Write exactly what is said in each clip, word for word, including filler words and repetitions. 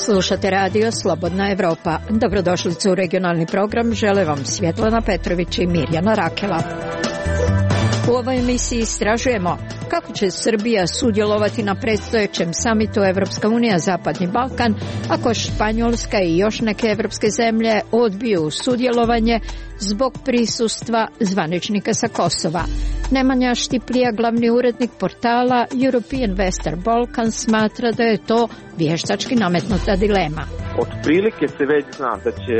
Slušate radio Slobodna Evropa. Dobrodošlicu u regionalni program. Žele vam Svjetlana Petrović i Mirjana Rakela. U ovoj emisiji istražujemo kako će Srbija sudjelovati na predstojećem samitu Evropska unija Zapadni Balkan ako Španjolska i još neke evropske zemlje odbiju sudjelovanje zbog prisustva zvaničnika sa Kosova. Nemanja Štiplija, glavni urednik portala European Western Balkan, smatra da je to vještački nametnuta dilema. Od prilike se već zna da će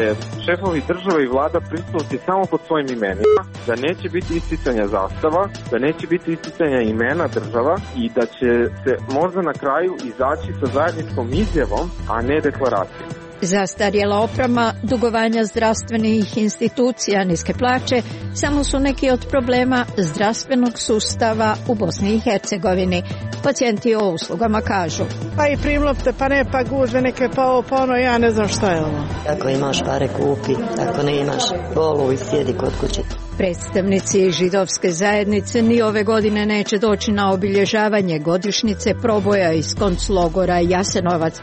šefovi država i vlada prisustvovati samo pod svojim imenima, da neće biti isticanja zastava, da neće biti isticanja imena država i da će se možda na kraju izaći sa zajedničkom izjavom, a ne deklaracijom. Zastarjela oprema, dugovanja zdravstvenih institucija, niske plaće samo su neki od problema zdravstvenog sustava u Bosni i Hercegovini. Pacijenti o uslugama kažu: pa i primlopte, pa ne, pa gužve neke, pa ovo, pa ono, ja ne znam šta je ovo. Ako imaš pare kupi, ako ne imaš bolu i sjedi kod kuće. Predstavnici židovske zajednice ni ove godine neće doći na obilježavanje godišnjice proboja iz konclogora Jasenovac.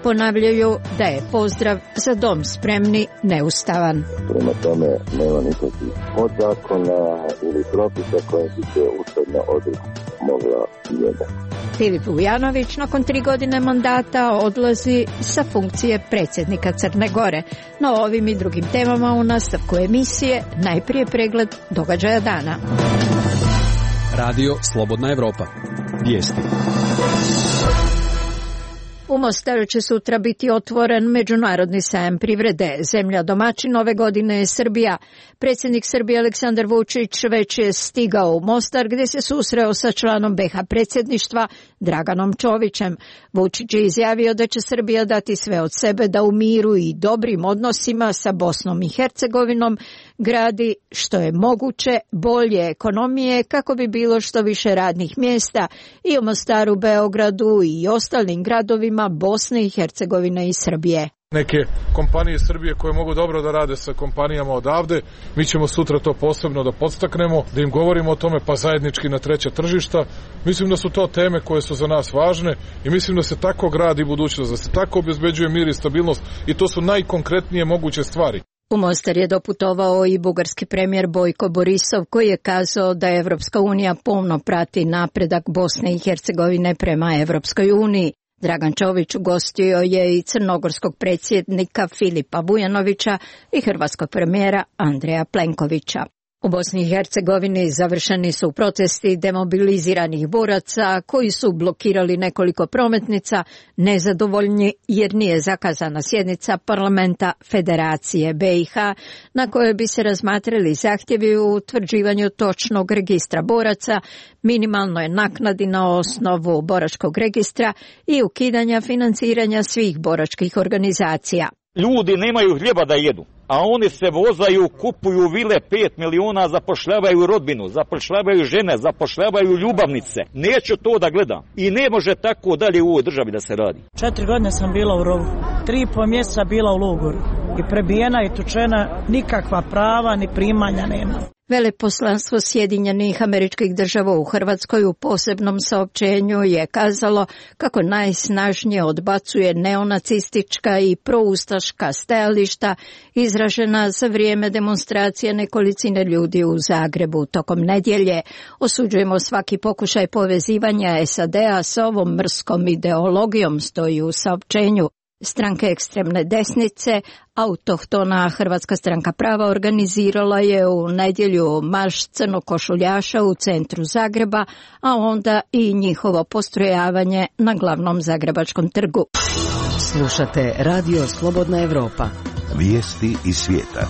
Ponavljaju da je pozdrav za dom spremni neustavan. Prema tome nema nikakvih podzakona ili propisa koje bi se ustavna odredba mogla mijenjati. Filip Vujanović nakon tri godine mandata odlazi sa funkcije predsjednika Crne Gore. No ovim i drugim temama u nastavku emisije najprije pregled događaja dana. Radio Slobodna Evropa. Vijesti. U Mostaru će sutra biti otvoren međunarodni sajam privrede. Zemlja domaćin ove godine je Srbija. Predsjednik Srbije Aleksandar Vučić već je stigao u Mostar gdje se susreo sa članom be ha predsjedništva Draganom Čovićem. Vučić je izjavio da će Srbija dati sve od sebe da u miru i dobrim odnosima sa Bosnom i Hercegovinom gradi što je moguće bolje ekonomije kako bi bilo što više radnih mjesta i u Mostaru, Beogradu i ostalim gradovima Bosne i Hercegovine i Srbije. Neke kompanije Srbije koje mogu dobro da rade sa kompanijama odavde, mi ćemo sutra to posebno da podstaknemo, da im govorimo o tome, pa zajednički na treća tržišta. Mislim da su to teme koje su za nas važne i mislim da se tako gradi budućnost, da se tako obezbeđuje mir i stabilnost i to su najkonkretnije moguće stvari. U Mostar je doputovao i bugarski premijer Bojko Borisov koji je kazao da Evropska unija pomno prati napredak Bosne i Hercegovine prema Evropskoj uniji. Dragan Čović ugostio je i crnogorskog predsjednika Filipa Vujanovića i hrvatskog premijera Andreja Plenkovića. U Bosni i Hercegovini završeni su protesti demobiliziranih boraca koji su blokirali nekoliko prometnica, nezadovoljni jer nije zakazana sjednica parlamenta Federacije be i ha na kojoj bi se razmatrali zahtjevi u utvrđivanju točnog registra boraca, minimalnoj naknadi na osnovu boračkog registra i ukidanja financiranja svih boračkih organizacija. Ljudi nemaju hljeba da jedu, a oni se vozaju, kupuju vile pet miliona, zapošljavaju rodbinu, zapošljavaju žene, zapošljavaju ljubavnice. Neću to da gledam i ne može tako dalje u ovoj državi da se radi. Četiri godine sam bila u rovu, tri i pol mjeseca bila u logoru i prebijena i tučena, nikakva prava ni primanja nema. Veleposlanstvo Sjedinjenih Američkih Država u Hrvatskoj u posebnom saopćenju je kazalo kako najsnažnije odbacuje neonacistička i proustaška stajališta izražena za vrijeme demonstracije nekolicine ljudi u Zagrebu tokom nedjelje. Osuđujemo svaki pokušaj povezivanja es a de a sa ovom mrskom ideologijom, stoji u saopćenju. Stranke ekstremne desnice, autohtona Hrvatska stranka prava organizirala je u nedjelju marš crnokošuljaša u centru Zagreba, a onda i njihovo postrojavanje na glavnom zagrebačkom trgu. Slušate Radio Slobodna Evropa. Vijesti iz svijeta.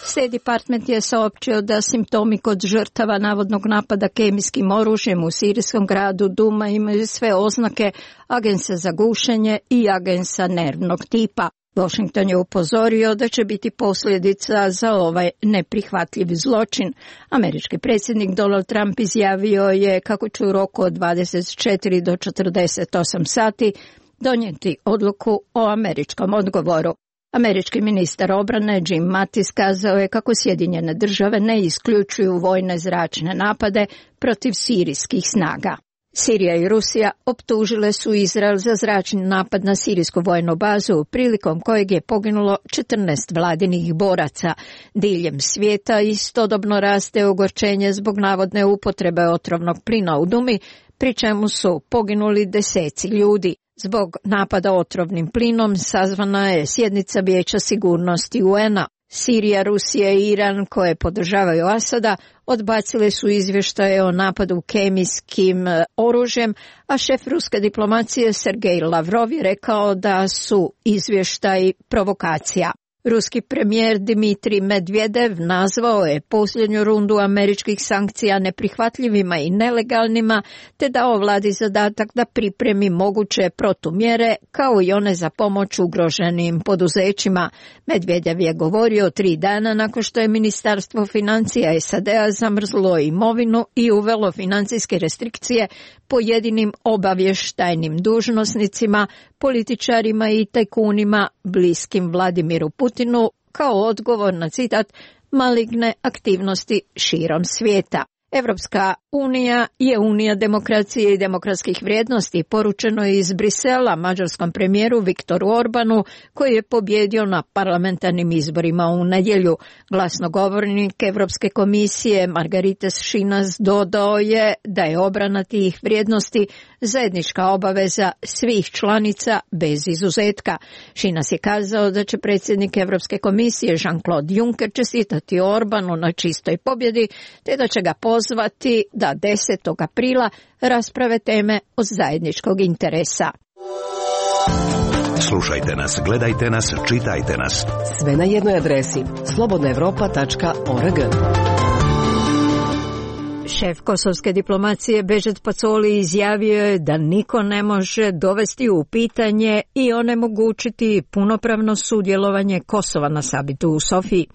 State Department je saopćio da simptomi kod žrtava navodnog napada kemijskim oružjem u sirijskom gradu Duma imaju sve oznake agensa za gušenje i agensa nervnog tipa. Washington je upozorio da će biti posljedica za ovaj neprihvatljiv zločin. Američki predsjednik Donald Trump izjavio je kako će u roku od dvadeset četiri do četrdeset osam sati donijeti odluku o američkom odgovoru. Američki ministar obrane Jim Mattis kazao je kako Sjedinjene države ne isključuju vojne zračne napade protiv sirijskih snaga. Sirija i Rusija optužile su Izrael za zračni napad na sirijsku vojnu bazu, prilikom kojeg je poginulo četrnaest vladinih boraca. Diljem svijeta istodobno raste ogorčenje zbog navodne upotrebe otrovnog plina u Dumi, pri čemu su poginuli deseci ljudi. Zbog napada otrovnim plinom sazvana je sjednica Vijeća sigurnosti U N-a. Sirija, Rusija i Iran, koje podržavaju Asada, odbacile su izvještaje o napadu kemijskim oružjem, a šef ruske diplomacije Sergej Lavrov je rekao da su izvještaji provokacija. Ruski premijer Dmitrij Medvedev nazvao je posljednju rundu američkih sankcija neprihvatljivima i nelegalnima, te dao vladi zadatak da pripremi moguće protumjere kao i one za pomoć ugroženim poduzećima. Medvedev je govorio tri dana nakon što je Ministarstvo financija S A D-a zamrzlo imovinu i uvelo financijske restrikcije pojedinim obavještajnim dužnosnicima, političarima i tajkunima bliskim Vladimiru Putinu kao odgovor na citat maligne aktivnosti širom svijeta. Evropska unija je unija demokracije i demokratskih vrijednosti, poručeno je iz Brisela mađarskom premijeru Viktoru Orbanu, koji je pobjedio na parlamentarnim izborima u nedjelju. Glasnogovornik Evropske komisije Margaritis Šinas dodao je da je obrana tih vrijednosti zajednička obaveza svih članica bez izuzetka. Šinas je kazao da će predsjednik Evropske komisije Jean-Claude Juncker čestitati Orbanu na čistoj pobjedi, te da će ga pozvati da desetog aprila rasprave teme od zajedničkog interesa. Slušajte nas, gledajte nas, čitajte nas. Sve na jednoj adresi slobodna europa tačka org. Šef kosovske diplomacije Bežet Pacoli izjavio je da niko ne može dovesti u pitanje i onemogućiti punopravno sudjelovanje Kosova na samitu u Sofiji.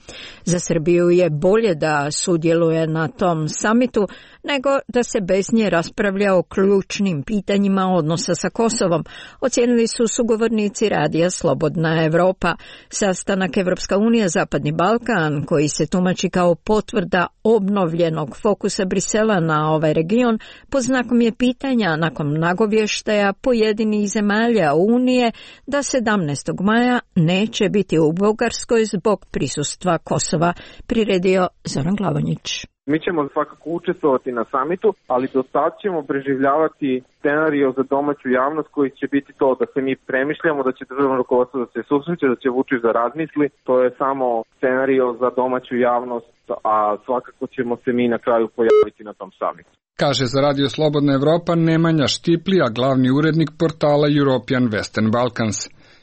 Za Srbiju je bolje da sudjeluje na tom samitu nego da se bez nje raspravlja o ključnim pitanjima odnosa sa Kosovom, ocijenili su sugovornici radija Slobodna Evropa. Sastanak Evropska unija Zapadni Balkan, koji se tumači kao potvrda obnovljenog fokusa Brisela na ovaj region, pod znakom je pitanja nakon nagovještaja pojedinih zemalja Unije da sedamnaestog maja neće biti u Bugarskoj zbog prisustva Kosova, priredio Zoran Glavonjić. Mi ćemo svakako učestvovati na samitu, ali do sad ćemo preživljavati scenario za domaću javnost koji će biti to da se mi premišljamo, da će državno rukovodstvo da se susreće, da će Vučić da razmisli. To je samo scenario za domaću javnost, a svakako ćemo se mi na kraju pojaviti na tom samitu. Kaže za Radio Slobodna Evropa Nemanja Štiplija, glavni urednik portala European Western Balkans.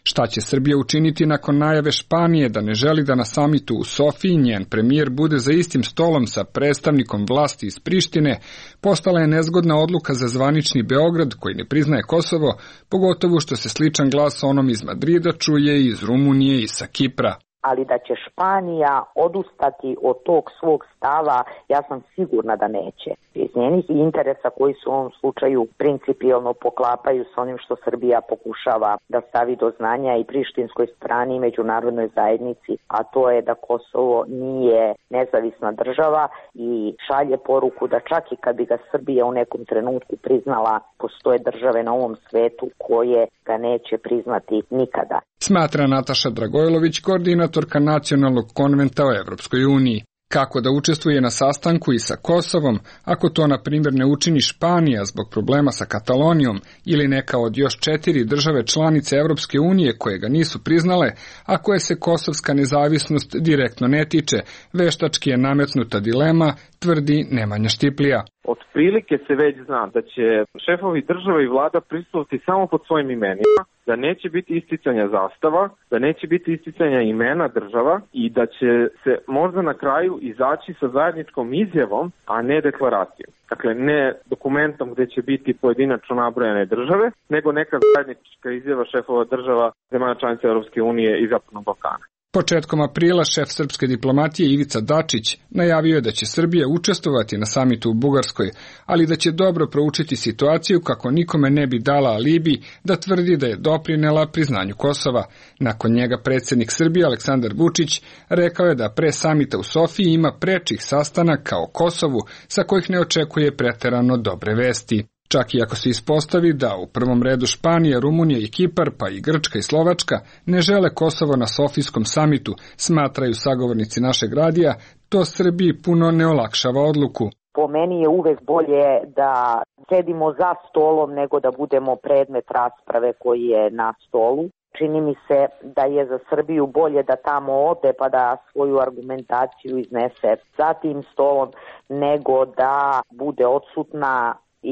Šta će Srbija učiniti nakon najave Španije da ne želi da na samitu u Sofiji njen premijer bude za istim stolom sa predstavnikom vlasti iz Prištine, postala je nezgodna odluka za zvanični Beograd koji ne priznaje Kosovo, pogotovo što se sličan glas onom iz Madrida čuje i iz Rumunije i sa Kipra. Ali da će Španija odustati od tog svog stava, ja sam sigurna da neće. Iz njenih interesa koji su u ovom slučaju principijelno poklapaju s onim što Srbija pokušava da stavi do znanja i prištinskoj strani i međunarodnoj zajednici, a to je da Kosovo nije nezavisna država i šalje poruku da čak i kad bi ga Srbija u nekom trenutku priznala, postoje države na ovom svetu koje ga neće priznati nikada. Smatra Nataša Dragojlović, koordinatorka Nacionalnog konventa o Evropskoj uniji. Kako da učestvuje na sastanku i sa Kosovom, ako to na primjer ne učini Španija zbog problema sa Katalonijom ili neka od još četiri države članice Evropske unije koje ga nisu priznale, a koje se kosovska nezavisnost direktno ne tiče, veštački je nametnuta dilema, tvrdi Nemanja Štiplija. Otprilike se već zna da će šefovi države i vlada prisustvovati samo pod svojim imenima, da neće biti isticanja zastava, da neće biti isticanja imena država i da će se možda na kraju izaći sa zajedničkom izjavom, a ne deklaracijom. Dakle, ne dokumentom gdje će biti pojedinačno nabrojane države, nego neka zajednička izjava šefova država zemalja članica Europske unije i Zapadnog Balkana. Početkom aprila šef srpske diplomatije Ivica Dačić najavio je da će Srbija učestvovati na samitu u Bugarskoj, ali da će dobro proučiti situaciju kako nikome ne bi dala alibi da tvrdi da je doprinela priznanju Kosova. Nakon njega predsjednik Srbije Aleksandar Vučić rekao je da pre samita u Sofiji ima prečih sastanaka o Kosovu sa kojih ne očekuje preterano dobre vesti. Čak i ako se ispostavi da u prvom redu Španija, Rumunija i Kipar, pa i Grčka i Slovačka ne žele Kosovo na Sofijskom samitu, smatraju sagovornici našeg radija, to Srbiji puno ne olakšava odluku. Po meni je uvek bolje da sedimo za stolom nego da budemo predmet rasprave koji je na stolu. Čini mi se da je za Srbiju bolje da tamo ode pa da svoju argumentaciju iznese za tim stolom nego da bude odsutna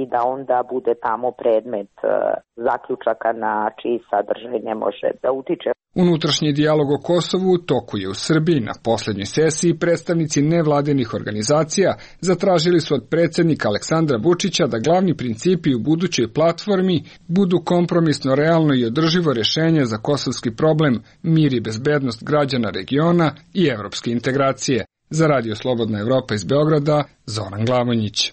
i da onda bude tamo predmet uh, zaključaka na čiji sadržaj ne može da utiče. Unutrašnji dijalog o Kosovu u toku je u Srbiji. Na posljednjoj sesiji predstavnici nevladinih organizacija zatražili su od predsjednika Aleksandra Vučića da glavni principi u budućoj platformi budu kompromisno, realno i održivo rješenje za kosovski problem, mir i bezbednost građana regiona i evropske integracije. Za Radio Slobodna Evropa iz Beograda, Zoran Glavonjić.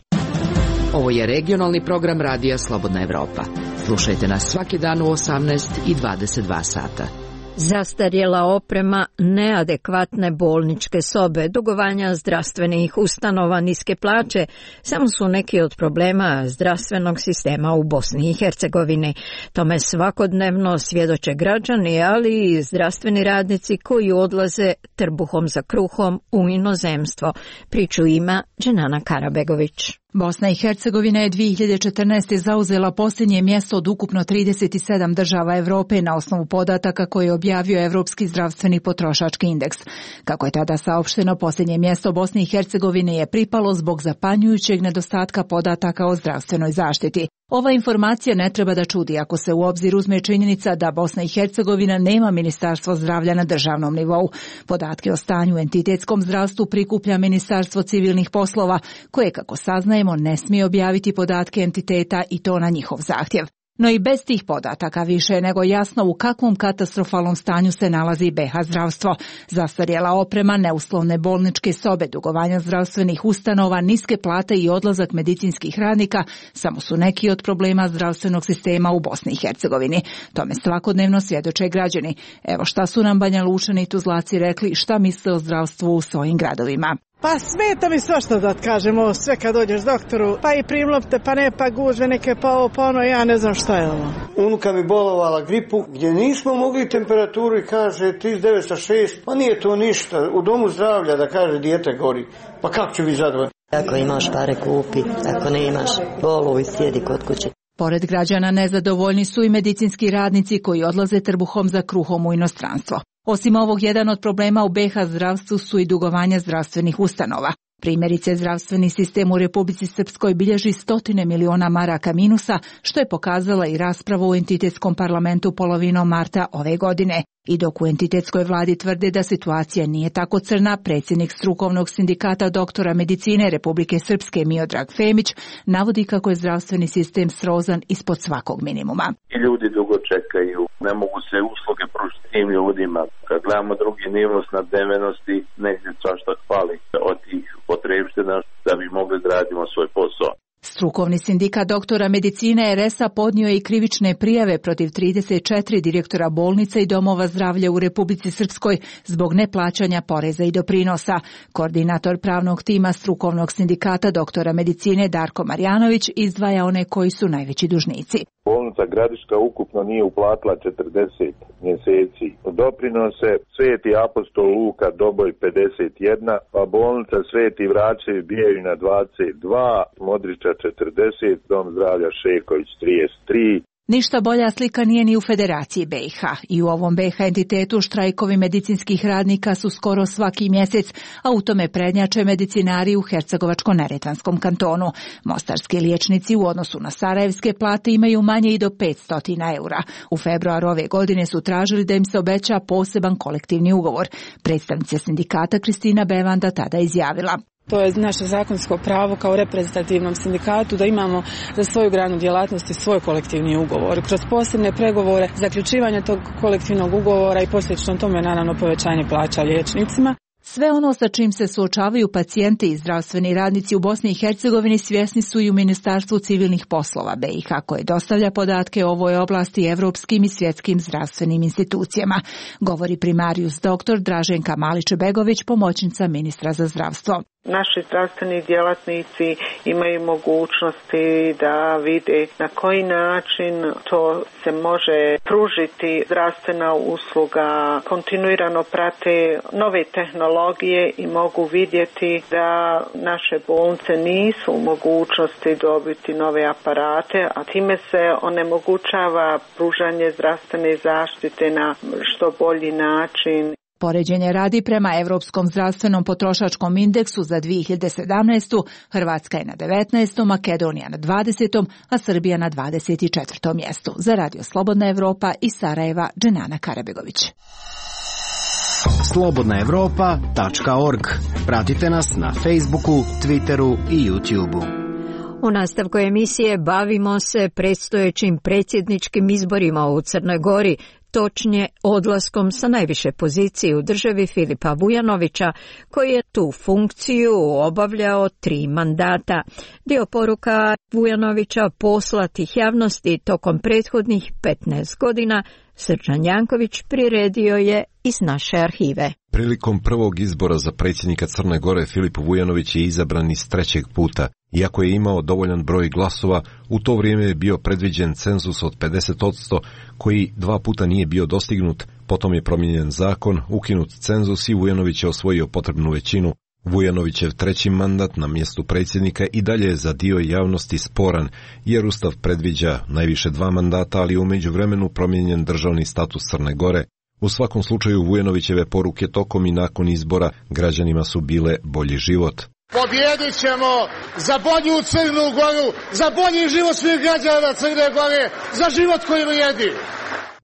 Ovo je regionalni program Radija Slobodna Evropa. Slušajte nas svaki dan u osamnaest i dvadeset dva sata. Zastarjela oprema, neadekvatne bolničke sobe, dugovanja zdravstvenih ustanova, niske plaće, samo su neki od problema zdravstvenog sistema u Bosni i Hercegovini. Tome svakodnevno svjedoče građani, ali i zdravstveni radnici koji odlaze trbuhom za kruhom u inozemstvo. Priču ima Dženana Karabegović. Bosna i Hercegovina je dvije hiljade četrnaeste. zauzela posljednje mjesto od ukupno trideset sedam država Europe na osnovu podataka koje je objavio Evropski zdravstveni potrošački indeks. Kako je tada saopšteno, posljednje mjesto Bosne i Hercegovine je pripalo zbog zapanjujućeg nedostatka podataka o zdravstvenoj zaštiti. Ova informacija ne treba da čudi ako se u obzir uzme činjenica da Bosna i Hercegovina nema ministarstvo zdravlja na državnom nivou. Podatke o stanju u entitetskom zdravstvu prikuplja Ministarstvo civilnih poslova, koje, kako saznajemo, ne smije objaviti podatke entiteta i to na njihov zahtjev. No i bez tih podataka više je nego jasno u kakvom katastrofalnom stanju se nalazi B iH zdravstvo. Zastarjela oprema, neuslovne bolničke sobe, dugovanja zdravstvenih ustanova, niske plate i odlazak medicinskih radnika samo su neki od problema zdravstvenog sistema u Bosni i Hercegovini. Tome svakodnevno svjedoče građani. Evo šta su nam Banja Lučani i Tuzlaci rekli šta misle o zdravstvu u svojim gradovima. Pa smeta mi svašta da kažemo, sve kad dođeš doktoru, pa i primlopte, pa ne, pa gužve neke, pa ovo, pa ono, ja ne znam šta je ovo. Unuka mi bolovala gripu, gdje nismo mogli temperaturu i kaže trideset devet zarez šest, pa nije to ništa, u domu zdravlja da kaže dijete gori, pa kako će biti zadovoljno? Ako imaš pare kupi, ako ne imaš boluj, sjedi kod kuće. Pored građana nezadovoljni su i medicinski radnici koji odlaze trbuhom za kruhom u inostranstvo. Osim ovog, jedan od problema u B iH zdravstvu su i dugovanja zdravstvenih ustanova. Primjerice, zdravstveni sistem u Republici Srpskoj bilježi stotine miliona maraka minusa, što je pokazala i rasprava u entitetskom parlamentu polovinom marta ove godine. I dok u entitetskoj vladi tvrde da situacija nije tako crna, predsjednik strukovnog sindikata doktora medicine Republike Srpske Miodrag Femić navodi kako je zdravstveni sistem srozan ispod svakog minimuma. Ljudi dugo čekaju, ne mogu se usluge pružiti tim ljudima. Kad gledamo drugi nivo snabdevenosti, negdje svašta hvali od tih potrebština da bi mogli da radimo svoj posao. Strukovni sindikat doktora medicine R S A podnio je i krivične prijave protiv trideset četiri direktora bolnica i domova zdravlja u Republici Srpskoj zbog neplaćanja poreza i doprinosa. Koordinator pravnog tima strukovnog sindikata doktora medicine Darko Marjanović izdvaja one koji su najveći dužnici. Bolnica Gradiška ukupno nije uplatila četrdeset mjeseci. Doprinose Sveti apostol Luka Doboj pedeset jedan, pa bolnica Sveti Vračevi Bijevina dvadeset dva, Modriča četrdeset, Dom zdravlja Šeković trideset tri. Ništa bolja slika nije ni u Federaciji B iH. I u ovom B iH entitetu štrajkovi medicinskih radnika su skoro svaki mjesec, a u tome prednjače medicinari u Hercegovačko-neretvanskom kantonu. Mostarski liječnici u odnosu na sarajevske plate imaju manje i do petsto eura. U februaru ove godine su tražili da im se obeća poseban kolektivni ugovor. Predstavnica sindikata Kristina Bevanda tada izjavila: To je naše zakonsko pravo kao reprezentativnom sindikatu da imamo za svoju granu djelatnosti svoj kolektivni ugovor. Kroz posebne pregovore, zaključivanje tog kolektivnog ugovora i posljedično tome naravno povećanje plaća liječnicima. Sve ono sa čim se suočavaju pacijenti i zdravstveni radnici u Bosni i Hercegovini svjesni su i u Ministarstvu civilnih poslova B i H koje dostavlja podatke o ovoj oblasti evropskim i svjetskim zdravstvenim institucijama, govori primarius doktor Draženka Malić-Begović, pomoćnica ministra za zdravstvo. Naši zdravstveni djelatnici imaju mogućnosti da vide na koji način to se može pružiti zdravstvena usluga, kontinuirano prate nove tehnologije i mogu vidjeti da naše bolnice nisu u mogućnosti dobiti nove aparate, a time se onemogućava pružanje zdravstvene zaštite na što bolji način. Poređenje radi prema Europskom zdravstvenom potrošačkom indeksu za dvije hiljade sedamnaestu. Hrvatska je na devetnaestom, Makedonija na dvadesetom, a Srbija na dvadeset četvrtom mjestu. Za Radio Slobodna Evropa iz Sarajeva, Dženana Karabegović. slobodna evropa tačka org. Pratite nas na Facebooku, Twitteru i YouTubeu. U nastavku emisije bavimo se predstojećim predsjedničkim izborima u Crnoj Gori, točnije odlaskom sa najviše pozicije u državi Filipa Vujanovića, koji je tu funkciju obavljao tri mandata. Dio poruka Vujanovića poslatih javnosti tokom prethodnih petnaest godina Srđan Janković priredio je iz naše arhive. Prilikom prvog izbora za predsjednika Crne Gore Filip Vujanović je izabran iz trećeg puta. Iako je imao dovoljan broj glasova, u to vrijeme je bio predviđen cenzus od pedeset posto koji dva puta nije bio dostignut, potom je promijenjen zakon, ukinut cenzus i Vujanović je osvojio potrebnu većinu. Vujanovićev treći mandat na mjestu predsjednika i dalje je za dio javnosti sporan, jer Ustav predviđa najviše dva mandata, ali u međuvremenu promijenjen državni status Crne Gore. U svakom slučaju Vujanovićeve poruke tokom i nakon izbora građanima su bile bolji život. Pobjedit ćemo za bolju Crnu Goru, za bolji život svih građana Crne Gore, za život koji vrijedi.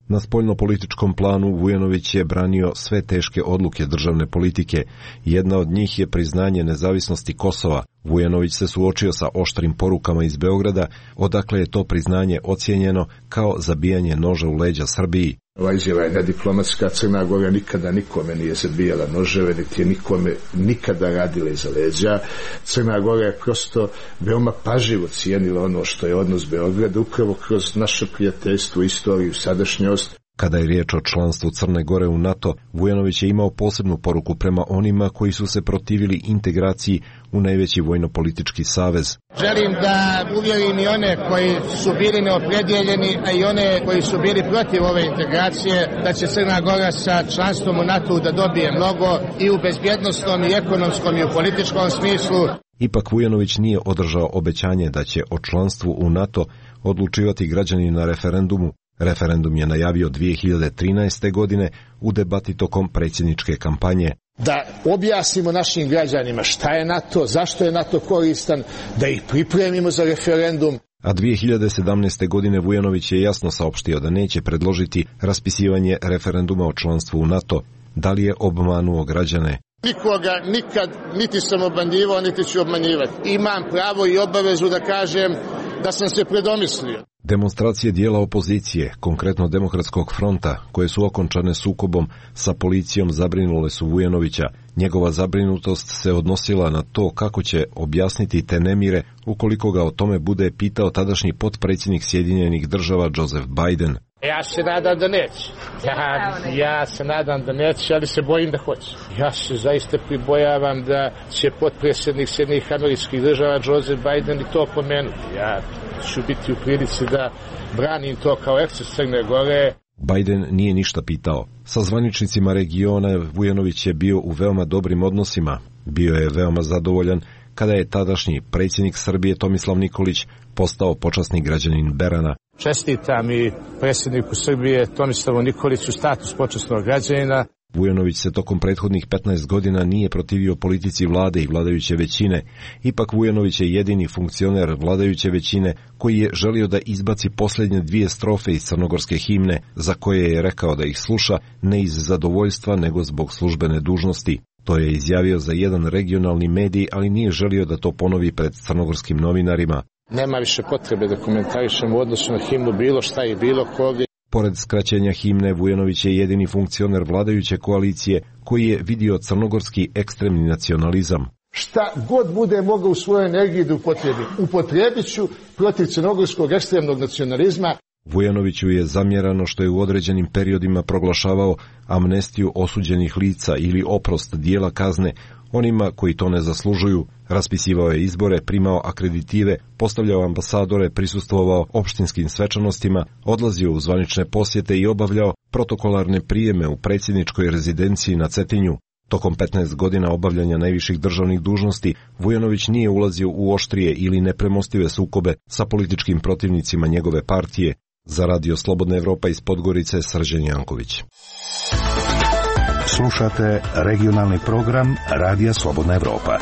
Na spoljnopolitičkom planu Vujanović je branio sve teške odluke državne politike. Jedna od njih je priznanje nezavisnosti Kosova. Vujanović se suočio sa oštrim porukama iz Beograda, odakle je to priznanje ocijenjeno kao zabijanje noža u leđa Srbiji. Ova izjava je nediplomatska. Crna Gora nikada nikome nije zabijala noževe, niti je nikome nikada radila iza leđa. Crna Gora je prosto veoma pažljivo cijenila ono što je odnos Beograda, upravo kroz naše prijateljstvo, istoriju, sadašnjost. Kada je riječ o članstvu Crne Gore u NATO, Vujanović je imao posebnu poruku prema onima koji su se protivili integraciji u najveći vojno-politički savez. Želim da uvjerim i one koji su bili neopredjeljeni, a i one koji su bili protiv ove integracije, da će Crna Gora sa članstvom u NATO da dobije mnogo i u bezbjednosnom i ekonomskom i u političkom smislu. Ipak Vujanović nije održao obećanje da će o članstvu u NATO odlučivati građani na referendumu. Referendum je najavio dvije hiljade trinaeste. godine u debati tokom predsjedničke kampanje. Da objasnimo našim građanima šta je NATO, zašto je NATO koristan, da ih pripremimo za referendum. A dvije hiljade sedamnaeste. godine Vujanović je jasno saopštio da neće predložiti raspisivanje referenduma o članstvu u NATO. Da li je obmanuo građane? Nikoga nikad niti sam obmanjivao, niti ću obmanjivati. Imam pravo i obavezu da kažem da sam se predomislio. Demonstracije dijela opozicije, konkretno Demokratskog fronta, koje su okončane sukobom sa policijom, zabrinule su Vujanovića. Njegova zabrinutost se odnosila na to kako će objasniti te nemire ukoliko ga o tome bude pitao tadašnji potpredsjednik Sjedinjenih Država Joseph Biden. Ja se nadam da neće. Ja, ja se nadam da neće, ali se bojim da hoće. Ja se zaista pribojavam da će potpredsjednik Sjedinjenih Američkih Država Joseph Biden i to pomenuti. Ja ću biti u prilici da branim to kao eksces Crne Gore. Biden nije ništa pitao. Sa zvaničnicima regiona Vujanović je bio u veoma dobrim odnosima. Bio je veoma zadovoljan kada je tadašnji predsjednik Srbije Tomislav Nikolić postao počasni građanin Berana. Čestitam i predsjedniku Srbije Tomislavu Nikoliću status počasnog građanina. Vujanović se tokom prethodnih petnaest godina nije protivio politici vlade i vladajuće većine. Ipak Vujanović je jedini funkcioner vladajuće većine koji je želio da izbaci posljednje dvije strofe iz crnogorske himne, za koje je rekao da ih sluša ne iz zadovoljstva nego zbog službene dužnosti. To je izjavio za jedan regionalni medij, ali nije želio da to ponovi pred crnogorskim novinarima. Nema više potrebe da komentarišemo u odnosu na himnu bilo šta i bilo koga. Pored skraćenja himne, Vujanović je jedini funkcioner vladajuće koalicije koji je vidio crnogorski ekstremni nacionalizam. Šta god bude mogao u svojoj energiji da upotrebi, upotrebit ću protiv crnogorskog ekstremnog nacionalizma. Vujanoviću je zamjerano što je u određenim periodima proglašavao amnestiju osuđenih lica ili oprost dijela kazne onima koji to ne zaslužuju. Raspisivao je izbore, primao akreditive, postavljao ambasadore, prisustvovao opštinskim svečanostima, odlazio u zvanične posjete i obavljao protokolarne prijeme u predsjedničkoj rezidenciji na Cetinju. Tokom petnaest godina obavljanja najviših državnih dužnosti, Vujanović nije ulazio u oštrije ili nepremostive sukobe sa političkim protivnicima njegove partije. Za Radio Slobodna Evropa iz Podgorice, Srđan Janković. Slušate regionalni program Radija Slobodna Evropa.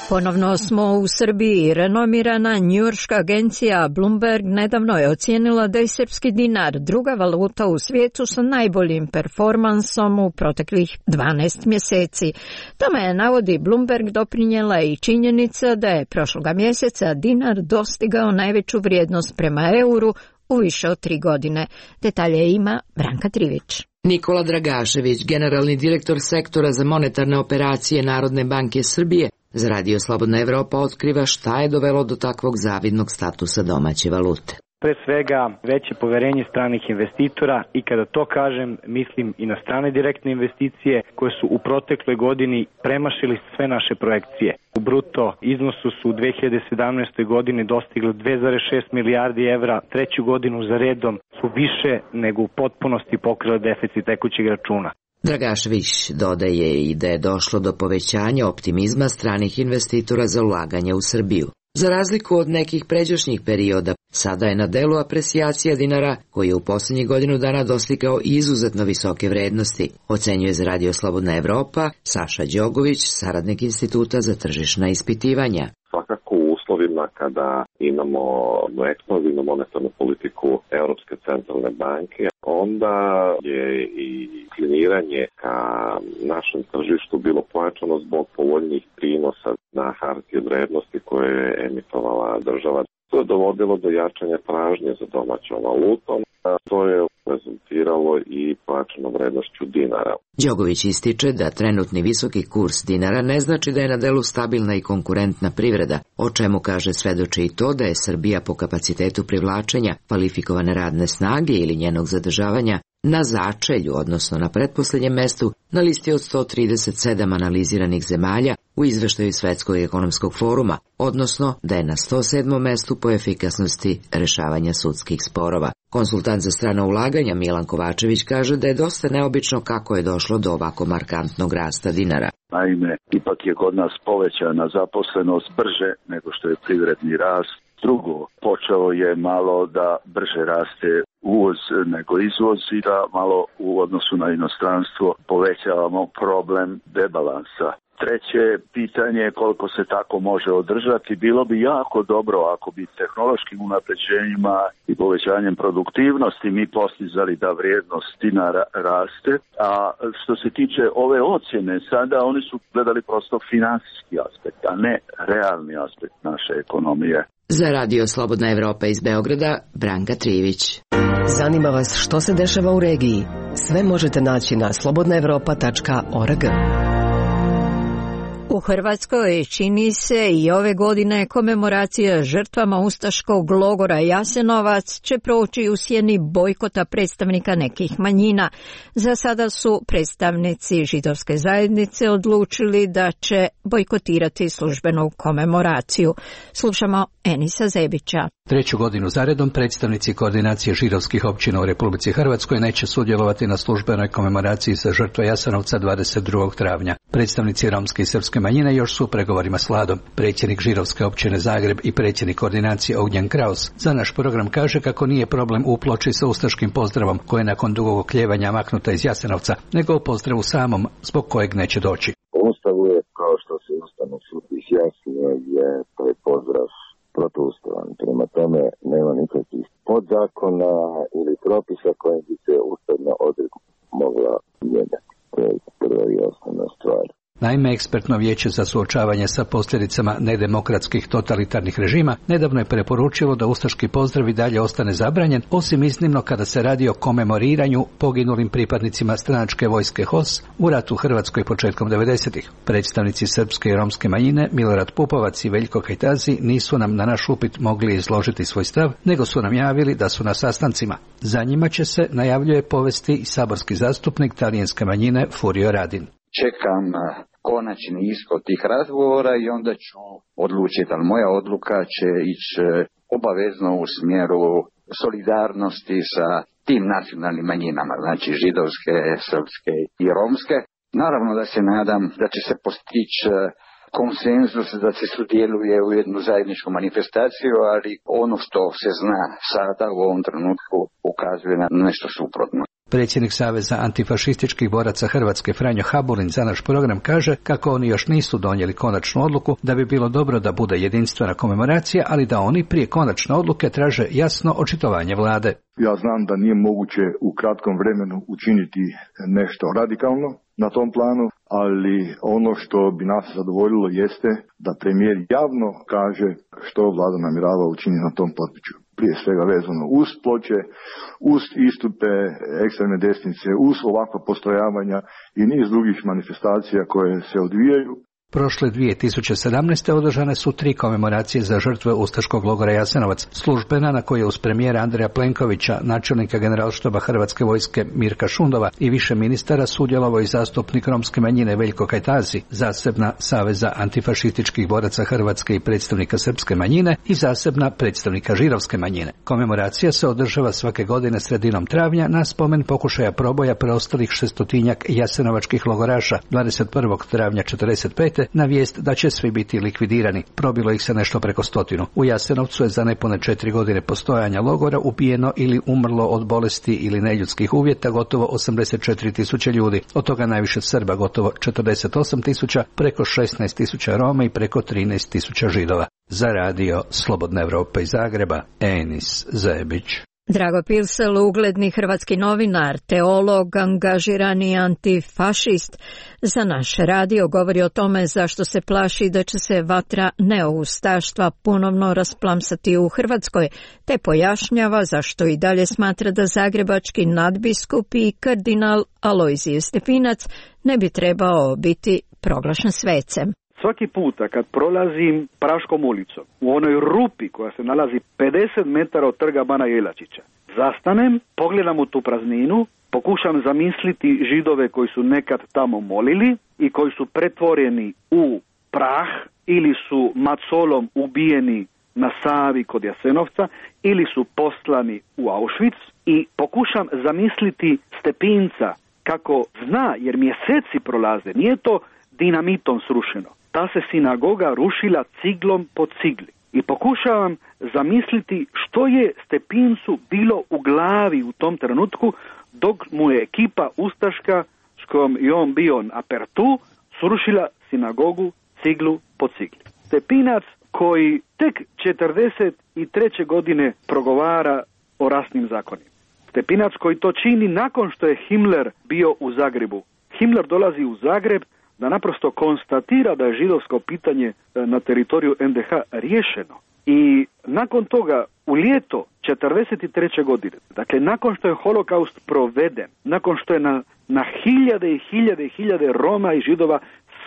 Ponovno smo u Srbiji. Renomirana njujorška agencija Bloomberg nedavno je ocijenila da je srpski dinar druga valuta u svijetu sa najboljim performansom u proteklih dvanaest mjeseci. Tome je, navodi Bloomberg, doprinijela i činjenica da je prošloga mjeseca dinar dostigao najveću vrijednost prema euru u više od tri godine. Detalje ima Branka Trivić. Nikola Dragašević, generalni direktor sektora za monetarne operacije Narodne banke Srbije, za Radio Slobodna Evropa otkriva šta je dovelo do takvog zavidnog statusa domaće valute. Pre svega veće poverenje stranih investitora i kada to kažem mislim i na strane direktne investicije koje su u protekloj godini premašili sve naše projekcije. U bruto iznosu su u dve hiljade sedamnaestoj godini dostigli dve zarez šest milijardi evra, treću godinu za redom su više nego u potpunosti pokrili deficit tekućeg računa. Dragašević dodaje i da je došlo do povećanja optimizma stranih investitora za ulaganje u Srbiju. Za razliku od nekih pređašnjih perioda, sada je na delu apresijacija dinara, koji je u posljednjih godinu dana dostigao izuzetno visoke vrednosti, ocenjuje za Radio Slobodna Evropa Saša Đogović, saradnik Instituta za tržišna ispitivanja. Svakako u uslovima kada imamo ekspanzivnu monetarnu politiku Europske centralne banke, onda je i kliniranje ka našem tržištu bilo pojačano zbog povoljnih prinosa na hartije od vrednosti koje je emitovala država. To je dovodilo do jačanja tražnje za domaćom valutom, a to je rezultiralo i pojačanom vrednošću dinara. Đogović ističe da trenutni visoki kurs dinara ne znači da je na delu stabilna i konkurentna privreda, o čemu kaže svedoči i to da je Srbija po kapacitetu privlačenja kvalifikovane radne snage ili njenog zadržavanja na začelju, odnosno na pretposlednjem mestu, na listi od sto trideset sedam analiziranih zemalja u izveštaju Svetskog ekonomskog foruma, odnosno da je na sto sedmom mestu po efikasnosti rešavanja sudskih sporova. Konsultant za strana ulaganja Milan Kovačević kaže da je dosta neobično kako je došlo do ovako markantnog rasta dinara. Naime, ipak je kod nas povećana zaposlenost brže nego što je privredni rast. Drugo, počeo je malo da brže raste uvoz nego izvoz i da malo u odnosu na inostranstvo povećavamo problem debalansa. Treće pitanje je koliko se tako može održati. Bilo bi jako dobro ako bi tehnološkim unapređenjima i povećanjem produktivnosti mi postizali da vrijednost dinara raste. A što se tiče ove ocjene, sada oni su gledali prosto finansijski aspekt, a ne realni aspekt naše ekonomije. Za Radio Slobodna Evropa iz Beograda, Branka Trivić. Zanima vas što se dešava u regiji? Sve možete naći na slobodna evropa tačka org. U Hrvatskoj čini se i ove godine komemoracija žrtvama ustaškog logora Jasenovac će proći u sjeni bojkota predstavnika nekih manjina. Za sada su predstavnici židovske zajednice odlučili da će bojkotirati službenu komemoraciju. Slušamo Enisa Zebića. Treću godinu zaredom predstavnici koordinacije židovskih općina u Republici Hrvatskoj neće sudjelovati na službenoj komemoraciji za žrtve Jasenovca dvadeset drugog travnja. Predstavnici romske i srpske manjine još su u pregovorima s vladom. Predsjednik židovske općine Zagreb i predsjednik koordinacije Ognjen Kraus za naš program kaže kako nije problem u ploči sa ustaškim pozdravom koja je nakon dugog oklijevanja maknuta iz Jasenovca, nego u pozdravu samom zbog kojeg neće doći. U Ustavu je, kao što se Ustavni sud izjasnio, je taj pozdrav protuustavan. Prema tome nema nikakvih podzakona ili propisa kojim bi se ustavna odredba mogla mijenjati. To je prva i osnovna stvar. Naime, ekspertno vijeće za suočavanje sa posljedicama nedemokratskih totalitarnih režima nedavno je preporučilo da ustaški pozdrav i dalje ostane zabranjen, osim iznimno kada se radi o komemoriranju poginulim pripadnicima stranačke vojske H O S u ratu u Hrvatskoj početkom devedesetih. Predstavnici srpske i romske manjine Milorad Pupovac i Veljko Kajtazi nisu nam na naš upit mogli izložiti svoj stav, nego su nam javili da su na sastancima. Za njima će se, najavljuje, povesti i saborski zastupnik talijanske manjine Furio Radin. Čekam konačni ishod tih razgovora i onda ću odlučiti, ali moja odluka će ići obavezno u smjeru solidarnosti sa tim nacionalnim manjinama, znači židovske, srpske i romske. Naravno da se nadam da će se postići konsenzus, da se sudjeluje u jednu zajedničku manifestaciju, ali ono što se zna sada u ovom trenutku ukazuje na nešto suprotno. Predsjednik Saveza antifašističkih boraca Hrvatske Franjo Habulin za naš program kaže kako oni još nisu donijeli konačnu odluku, da bi bilo dobro da bude jedinstvena komemoracija, ali da oni prije konačne odluke traže jasno očitovanje vlade. Ja znam da nije moguće u kratkom vremenu učiniti nešto radikalno na tom planu, ali ono što bi nas zadovoljilo jeste da premijer javno kaže što vlada namjerava učiniti na tom području. Prije svega vezano uz ploče, uz istupe ekstremne desnice, uz ovakva postrojavanja i niz drugih manifestacija koje se odvijaju. Prošle dvije tisuće sedamnaeste. održane su tri komemoracije za žrtve ustaškog logora Jasenovac. Službena na kojoj je uz premijera Andreja Plenkovića, načelnika generalštaba Hrvatske vojske Mirka Šundova i više ministara sudjelovao i zastupnik romske manjine Veljko Kajtazi, zasebna Saveza antifašističkih boraca Hrvatske i predstavnika srpske manjine i zasebna predstavnika židovske manjine. Komemoracija se održava svake godine sredinom travnja na spomen pokušaja proboja preostalih šestotinjak jasenovačkih logoraša dvadeset prvog travnja četrdeset pete na vijest da će svi biti likvidirani. Probilo ih se nešto preko stotinu. U Jasenovcu je za nepune četiri godine postojanja logora ubijeno ili umrlo od bolesti ili neljudskih uvjeta gotovo osamdeset četiri tisuće ljudi. Od toga najviše Srba, gotovo četrdeset osam tisuća, preko šesnaest tisuća Roma i preko trinaest tisuća Židova. Za radio Slobodna Evropa iz Zagreba, Enis Zebić. Drago Pilsel, ugledni hrvatski novinar, teolog, angažirani antifašist, za naš radio govori o tome zašto se plaši da će se vatra neoustaštva ponovno rasplamsati u Hrvatskoj, te pojašnjava zašto i dalje smatra da zagrebački nadbiskup i kardinal Alojzije Stepinac ne bi trebao biti proglašen svecem. Svaki puta kad prolazim Praškom ulicom, u onoj rupi koja se nalazi pedeset metara od trga Bana Jelačića, zastanem, pogledam u tu prazninu, pokušam zamisliti Židove koji su nekad tamo molili i koji su pretvoreni u prah ili su macolom ubijeni na Savi kod Jasenovca ili su poslani u Auschwitz, i pokušam zamisliti Stepinca kako zna, jer mjeseci prolaze, nije to dinamitom srušeno. Ta se sinagoga rušila ciglom po cigli. I pokušavam zamisliti što je Stepincu bilo u glavi u tom trenutku dok mu je ekipa ustaška s kojom je on bio na apertu srušila sinagogu ciglu po cigli. Stepinac koji tek četrdeset treće godine progovara o rasnim zakonima. Stepinac koji to čini nakon što je Himmler bio u Zagrebu. Himmler dolazi u Zagreb da naprosto konstatira da je židovsko pitanje na teritoriju en de ha riješeno. I nakon toga, u ljeto četrdeset treće godine, dakle nakon što je holokaust proveden, nakon što je na, na hiljade i hiljade i hiljade Roma i Židova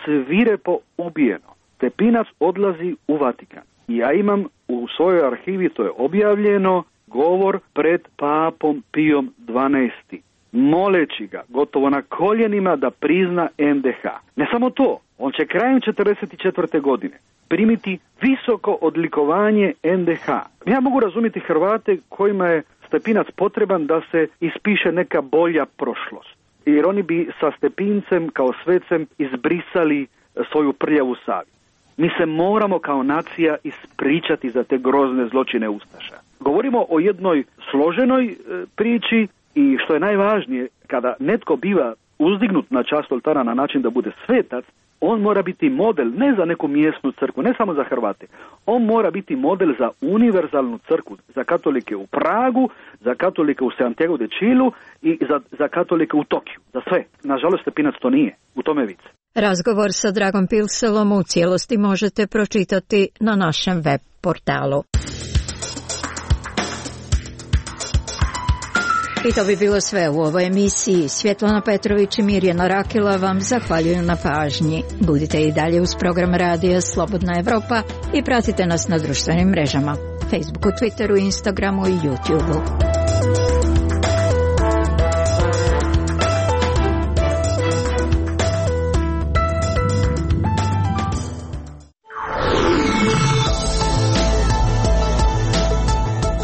svirepo ubijeno, Stepinac odlazi u Vatikan. I ja imam u svojoj arhivi, to je objavljeno, govor pred papom Pijom dvanaestim. moleći ga gotovo na koljenima da prizna en de ha. Ne samo to, on će krajem četrdeset četvrte godine primiti visoko odlikovanje en de ha. Ja mogu razumjeti Hrvate kojima je Stepinac potreban da se ispiše neka bolja prošlost, jer oni bi sa Stepincem kao svecem izbrisali svoju prljavu savjest. Mi se moramo kao nacija ispričati za te grozne zločine ustaša. Govorimo o jednoj složenoj e, priči. I što je najvažnije, kada netko biva uzdignut na čast oltara na način da bude svetac, On mora biti model ne za neku mjesnu crkvu, ne samo za Hrvate. On mora biti model za univerzalnu crkvu, za katolike u Pragu, za katolike u Santiago de Chilu i za, za katolike u Tokiju. Za sve. Nažalost, Stepinac to nije. U tome vic. Razgovor sa Dragom Pilselom u cijelosti možete pročitati na našem web portalu. I to bi bilo sve u ovoj emisiji. Svjetlana Petrović i Mirjana Rakila vam zahvaljuju na pažnji. Budite i dalje uz program radija Slobodna Evropa i pratite nas na društvenim mrežama. Facebooku, Twitteru, Instagramu i YouTubeu.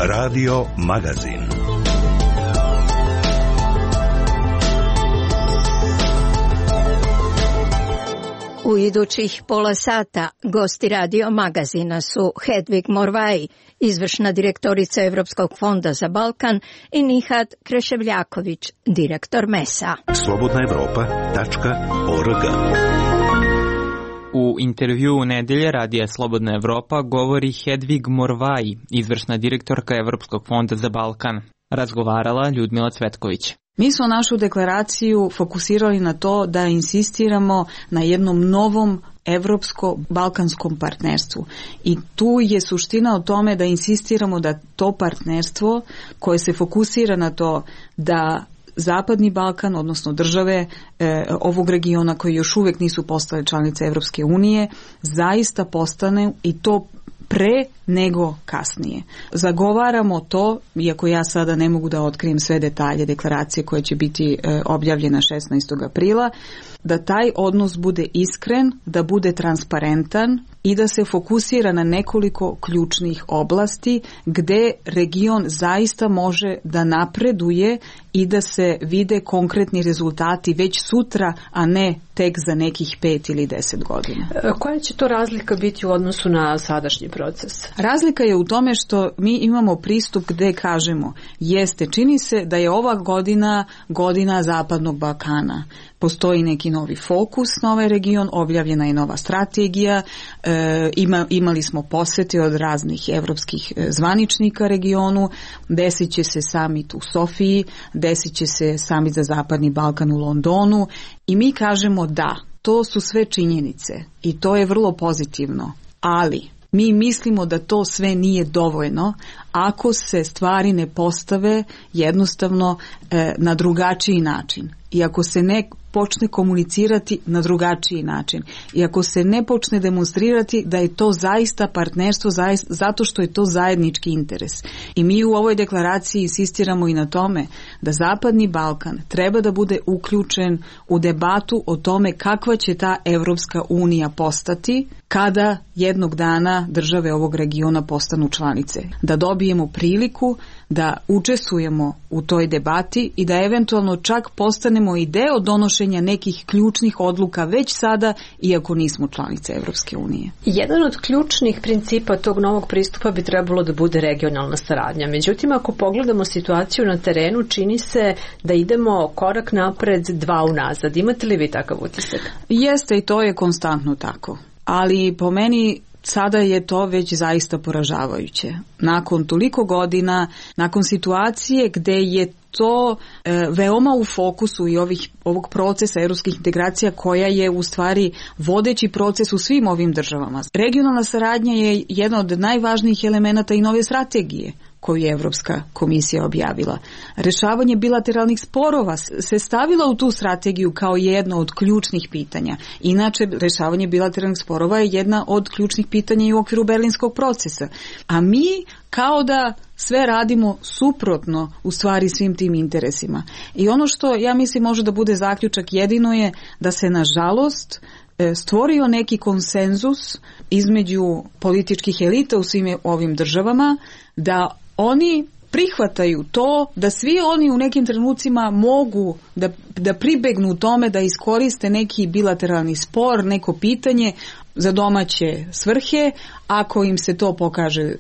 Radio Magazin. U idućih pola sata gosti Radio Magazina su Hedvig Morvaj, izvršna direktorica Evropskog fonda za Balkan, i Nihat Kreševljaković, direktor mesa. slobodna evropa tačka org. U intervjuu nedelje Radija Slobodna Evropa govori Hedvig Morvaj, izvršna direktorka Evropskog fonda za Balkan. Razgovarala Ljudmila Cvetković. Mi smo našu deklaraciju fokusirali na to da insistiramo na jednom novom evropsko-balkanskom partnerstvu. I tu je suština o tome da insistiramo da to partnerstvo koje se fokusira na to da Zapadni Balkan, odnosno države e, ovog regiona koji još uvijek nisu postale članice Evropske unije, zaista postane i to pre nego kasnije. Zagovaramo to, iako ja sada ne mogu da otkrijem sve detalje deklaracije koje će biti e, objavljena šesnaestog aprila, da taj odnos bude iskren, da bude transparentan i da se fokusira na nekoliko ključnih oblasti gde region zaista može da napreduje i da se vide konkretni rezultati već sutra, a ne tek za nekih pet ili deset godina. Koja će to razlika biti u odnosu na sadašnji proces? Razlika je u tome što mi imamo pristup gde kažemo, jeste, čini se da je ova godina godina Zapadnog Balkana. Postoji neki novi fokus na ovaj region, objavljena je nova strategija, e, ima, imali smo posete od raznih evropskih zvaničnika regionu, desit će se samit u Sofiji, desit će se samit za Zapadni Balkan u Londonu i mi kažemo da, to su sve činjenice i to je vrlo pozitivno, ali mi mislimo da to sve nije dovoljno ako se stvari ne postave jednostavno e, na drugačiji način i ako se ne počne komunicirati na drugačiji način i ako se ne počne demonstrirati da je to zaista partnerstvo zaista, zato što je to zajednički interes. I mi u ovoj deklaraciji insistiramo i na tome da Zapadni Balkan treba da bude uključen u debatu o tome kakva će ta Evropska unija postati kada jednog dana države ovog regiona postanu članice. Da dobijemo priliku da učestvujemo u toj debati i da eventualno čak postanemo i deo donošenja nekih ključnih odluka već sada, iako nismo članice Evropske unije. Jedan od ključnih principa tog novog pristupa bi trebalo da bude regionalna saradnja. Međutim, ako pogledamo situaciju na terenu, čini se da idemo korak napred, dva unazad. Imate li vi takav utisak? Jeste, i to je konstantno tako. Ali po meni sada je to već zaista poražavajuće. Nakon toliko godina, nakon situacije gde je to e, veoma u fokusu i ovih, ovog procesa evropskih integracija koja je u stvari vodeći proces u svim ovim državama. Regionalna saradnja je jedan od najvažnijih elemenata i nove strategije koju je Evropska komisija objavila. Rešavanje bilateralnih sporova se stavila u tu strategiju kao jedno od ključnih pitanja. Inače, rešavanje bilateralnih sporova je jedna od ključnih pitanja i u okviru berlinskog procesa. A mi kao da sve radimo suprotno u stvari svim tim interesima. I ono što ja mislim može da bude zaključak jedino je da se nažalost stvorio neki konsenzus između političkih elita u svim ovim državama da oni prihvataju to da svi oni u nekim trenucima mogu da, da pribegnu tome da iskoriste neki bilateralni spor, neko pitanje za domaće svrhe, ako im se to pokaže e,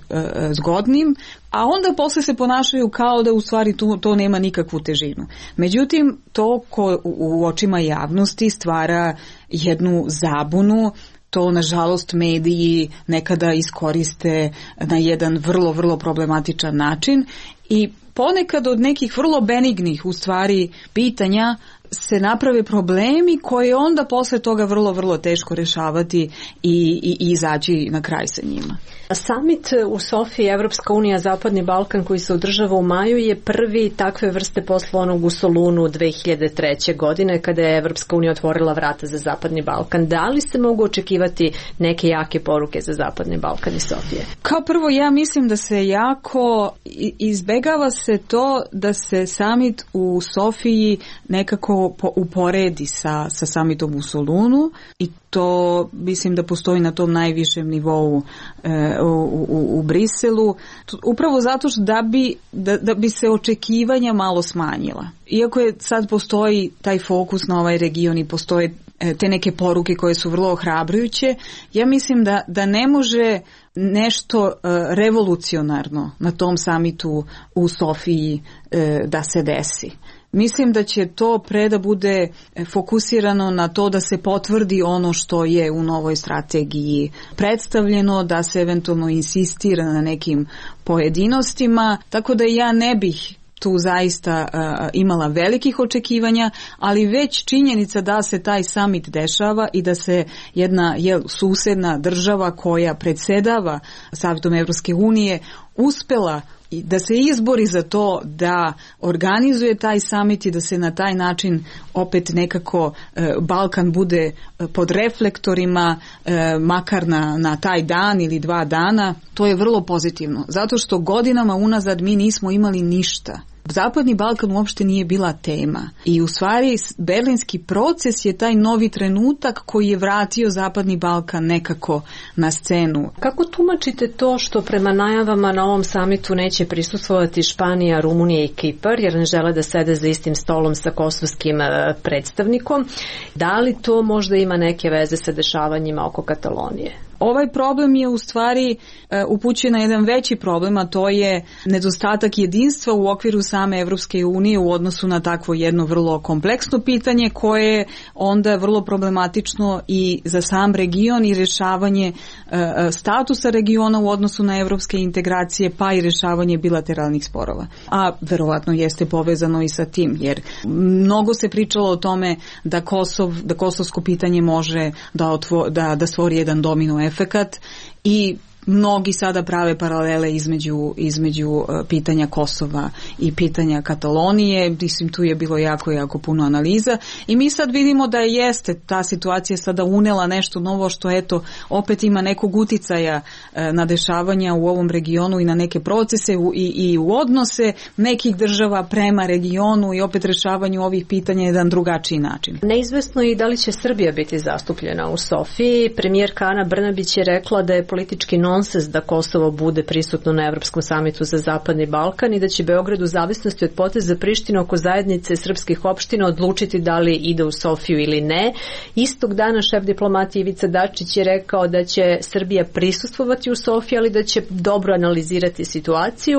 zgodnim, a onda posle se ponašaju kao da u stvari to, to nema nikakvu težinu. Međutim, to ko u, u očima javnosti stvara jednu zabunu. To, nažalost, mediji nekada iskoriste na jedan vrlo, vrlo problematičan način i ponekad od nekih vrlo benignih, u stvari, pitanja se naprave problemi koje onda posle toga vrlo, vrlo teško rešavati i, i, i izaći na kraj sa njima. Summit u Sofiji, Evropska unija, Zapadni Balkan, koji se održava u maju, je prvi takve vrste posle onog u Solunu dve hiljade treće. godine, kada je Evropska unija otvorila vrata za Zapadni Balkan. Da li se mogu očekivati neke jake poruke za Zapadni Balkan i Sofije? Kao prvo, ja mislim da se jako izbegava se to da se summit u Sofiji nekako uporedi sa, sa summitom u Solunu i to mislim da postoji na tom najvišem nivou e, u, u, u Briselu, upravo zato što da bi, da, da bi se očekivanja malo smanjila. Iako je sad postoji taj fokus na ovaj region i postoje e, te neke poruke koje su vrlo ohrabrujuće, ja mislim da, da ne može nešto e, revolucionarno na tom samitu u Sofiji e, da se desi. Mislim da će to pre da bude fokusirano na to da se potvrdi ono što je u novoj strategiji predstavljeno, da se eventualno insistira na nekim pojedinostima, tako da ja ne bih tu zaista uh, imala velikih očekivanja, ali već činjenica da se taj summit dešava i da se jedna jel, susedna država koja predsedava Savetom Evropske unije uspela da se izbori za to da organizuje taj summit i da se na taj način opet nekako e, Balkan bude pod reflektorima, e, makar na, na taj dan ili dva dana, to je vrlo pozitivno. Zato što godinama unazad mi nismo imali ništa. Zapadni Balkan uopšte nije bila tema i u stvari berlinski proces je taj novi trenutak koji je vratio Zapadni Balkan nekako na scenu. Kako tumačite to što prema najavama na ovom samitu neće prisustvovati Španija, Rumunija i Kipar jer ne žele da sede za istim stolom sa kosovskim predstavnikom? Da li to možda ima neke veze sa dešavanjima oko Katalonije? Ovaj problem je u stvari upućen na jedan veći problem, a to je nedostatak jedinstva u okviru same Evropske unije u odnosu na takvo jedno vrlo kompleksno pitanje koje je onda vrlo problematično i za sam region i rešavanje statusa regiona u odnosu na evropske integracije pa i rešavanje bilateralnih sporova. A verovatno jeste povezano i sa tim jer mnogo se pričalo o tome da Kosov, da kosovsko pitanje može da, otvo, da, da stvori jedan domino efekat i mnogi sada prave paralele između, između pitanja Kosova i pitanja Katalonije. Mislim, tu je bilo jako, jako puno analiza i mi sad vidimo da jeste ta situacija sada unela nešto novo što eto opet ima nekog uticaja na dešavanja u ovom regionu i na neke procese i, i u odnose nekih država prema regionu i opet rešavanju ovih pitanja na jedan drugačiji način. Neizvesno je i da li će Srbija biti zastupljena u Sofiji. Premijerka Ana Brnabić je rekla da je politički nonsens da Kosovo bude prisutno na Evropskom samitu za Zapadni Balkan i da će Beograd u zavisnosti od poteza Prištine oko zajednice srpskih opština odlučiti da li ide u Sofiju ili ne. Istog dana šef diplomatije Ivica Dačić je rekao da će Srbija prisustvovati u Sofiji, ali da će dobro analizirati situaciju.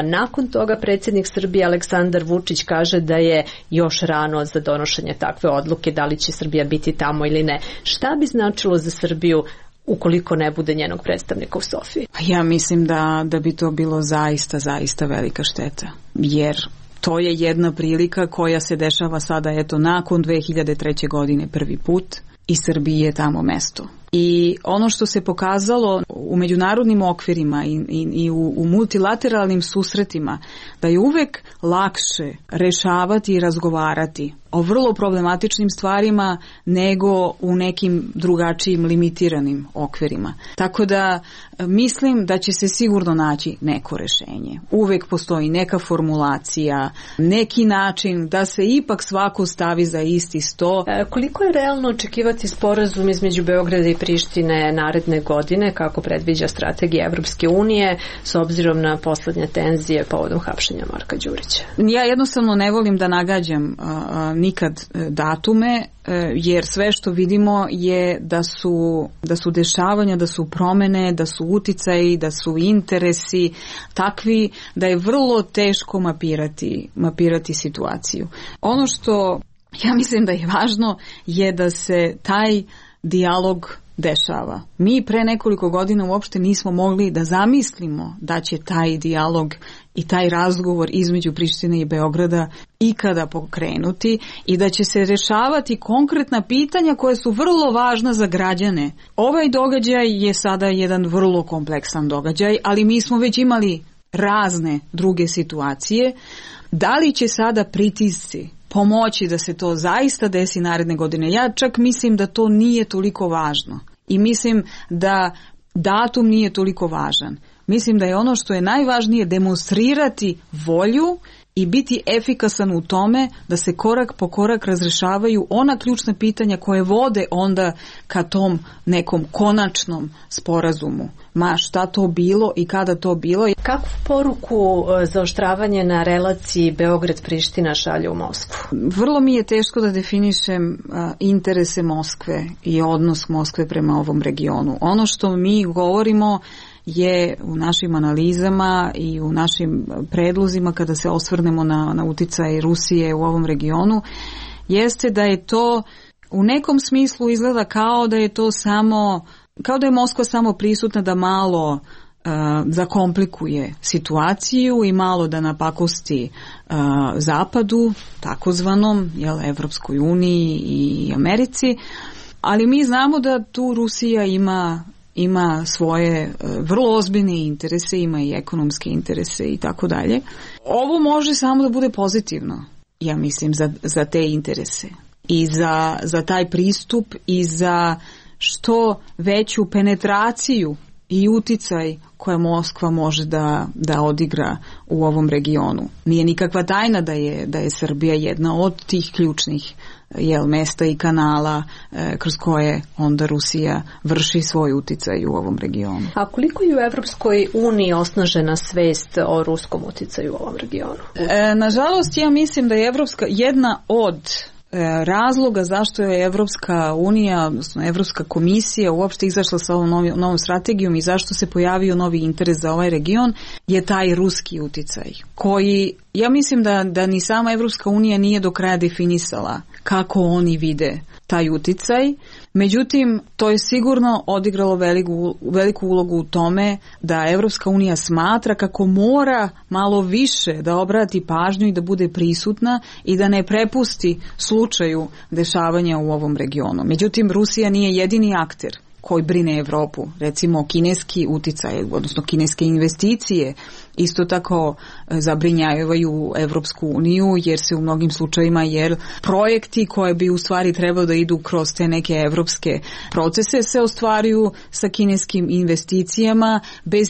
Nakon toga predsjednik Srbije Aleksandar Vučić kaže da je još rano za donošenje takve odluke da li će Srbija biti tamo ili ne. Šta bi značilo za Srbiju ukoliko ne bude njenog predstavnika u Sofiji? Ja mislim da, da bi to bilo zaista, zaista velika šteta. Jer to je jedna prilika koja se dešava sada eto nakon dve hiljade treće. godine prvi put i Srbiji je tamo mesto. I ono što se pokazalo u međunarodnim okvirima i, i, i u, u multilateralnim susretima, da je uvek lakše rešavati i razgovarati o vrlo problematičnim stvarima nego u nekim drugačijim limitiranim okvirima. Tako da mislim da će se sigurno naći neko rešenje. Uvek postoji neka formulacija, neki način da se ipak svako stavi za isti sto. E, koliko je realno očekivati sporazum između Beograda i Prištine naredne godine, kako predviđa strategija Evropske unije, s obzirom na poslednje tenzije povodom hapšenja Marka Đurića? Ja jednostavno ne volim da nagađam a, a, nikad datume, jer sve što vidimo je da su, da su dešavanja, da su promene, da su uticaji, da su interesi takvi da je vrlo teško mapirati, mapirati situaciju. Ono što ja mislim da je važno je da se taj dijalog dešava. Mi pre nekoliko godina uopšte nismo mogli da zamislimo da će taj dijalog i taj razgovor između Prištine i Beograda ikada pokrenuti i da će se rešavati konkretna pitanja koja su vrlo važna za građane. Ovaj događaj je sada jedan vrlo kompleksan događaj, ali mi smo već imali razne druge situacije. Da li će sada pritisci pomoći da se to zaista desi naredne godine? Ja čak mislim da to nije toliko važno i mislim da datum nije toliko važan. Mislim da je ono što je najvažnije demonstrirati volju i biti efikasan u tome da se korak po korak razrešavaju ona ključna pitanja koje vode onda ka tom nekom konačnom sporazumu. Ma šta to bilo i kada to bilo. Kakvu poruku zaoštravanje na relaciji Beograd-Priština šalje u Moskvu? Vrlo mi je teško da definišem interese Moskve i odnos Moskve prema ovom regionu. Ono što mi govorimo je u našim analizama i u našim predlozima kada se osvrnemo na, na uticaj Rusije u ovom regionu, jeste da je to u nekom smislu izgleda kao da je to samo, kao da je Moskva samo prisutna da malo uh, zakomplikuje situaciju i malo da napakosti uh, Zapadu, takozvanom, jel, Evropskoj uniji i Americi, ali mi znamo da tu Rusija ima ima svoje vrlo ozbiljne interese, ima i ekonomske interese i tako dalje. Ovo može samo da bude pozitivno, ja mislim, za, za te interese i za, za taj pristup i za što veću penetraciju i uticaj koje Moskva može da, da odigra u ovom regionu. Nije nikakva tajna da je, da je Srbija jedna od tih ključnih jel, mesta i kanala e, kroz koje onda Rusija vrši svoj uticaj u ovom regionu. A koliko je u Evropskoj uniji osnažena svest o ruskom uticaju u ovom regionu? E, nažalost, ja mislim da je Evropska jedna od razloga zašto je Evropska unija, odnosno Evropska komisija uopšte izašla sa ovom novi, novom strategijom i zašto se pojavio novi interes za ovaj region je taj ruski uticaj koji, ja mislim da, da ni sama Evropska unija nije do kraja definisala kako oni vide taj uticaj. Međutim, to je sigurno odigralo veliku, veliku ulogu u tome da Evropska unija smatra kako mora malo više da obrati pažnju i da bude prisutna i da ne prepusti slučaju dešavanja u ovom regionu. Međutim, Rusija nije jedini akter koji brine Evropu. Recimo, kineski uticaj, odnosno kineske investicije isto tako zabrinjavaju Evropsku uniju jer se u mnogim slučajima jer projekti koje bi u stvari trebalo da idu kroz te neke evropske procese se ostvaruju sa kineskim investicijama bez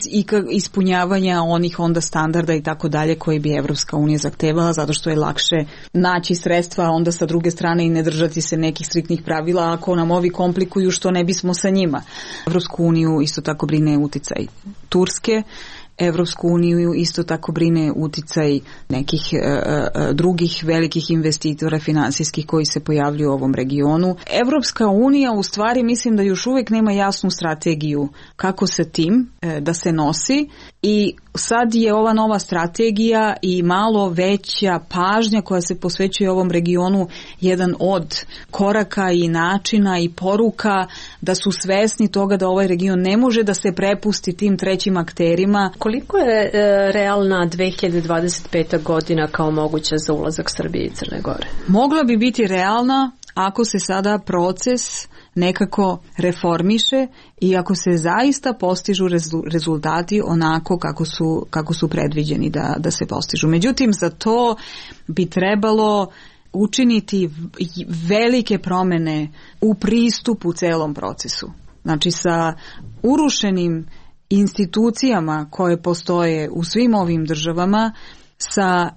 ispunjavanja onih onda standarda i tako dalje koje bi Evropska unija zahtevala zato što je lakše naći sredstva onda sa druge strane i ne držati se nekih striktnih pravila ako nam ovi komplikuju što ne bismo sa njima. Evropsku uniju isto tako brine uticaj Turske. Evropsku uniju isto tako brine uticaj nekih e, e, drugih velikih investitora finansijskih koji se pojavljuju u ovom regionu. Evropska unija u stvari mislim da još uvijek nema jasnu strategiju kako sa tim e, da se nosi i sad je ova nova strategija i malo veća pažnja koja se posvećuje ovom regionu jedan od koraka i načina i poruka da su svesni toga da ovaj region ne može da se prepusti tim trećim akterima. Koliko je e, realna dve hiljade dvadeset peta godina kao moguća za ulazak Srbije i Crne Gore? Mogla bi biti realna ako se sada proces nekako reformiše i ako se zaista postižu rezultati onako kako su, kako su predviđeni da, da se postižu. Međutim, za to bi trebalo učiniti velike promene u pristupu celom procesu. Znači sa urušenim institucijama koje postoje u svim ovim državama, sa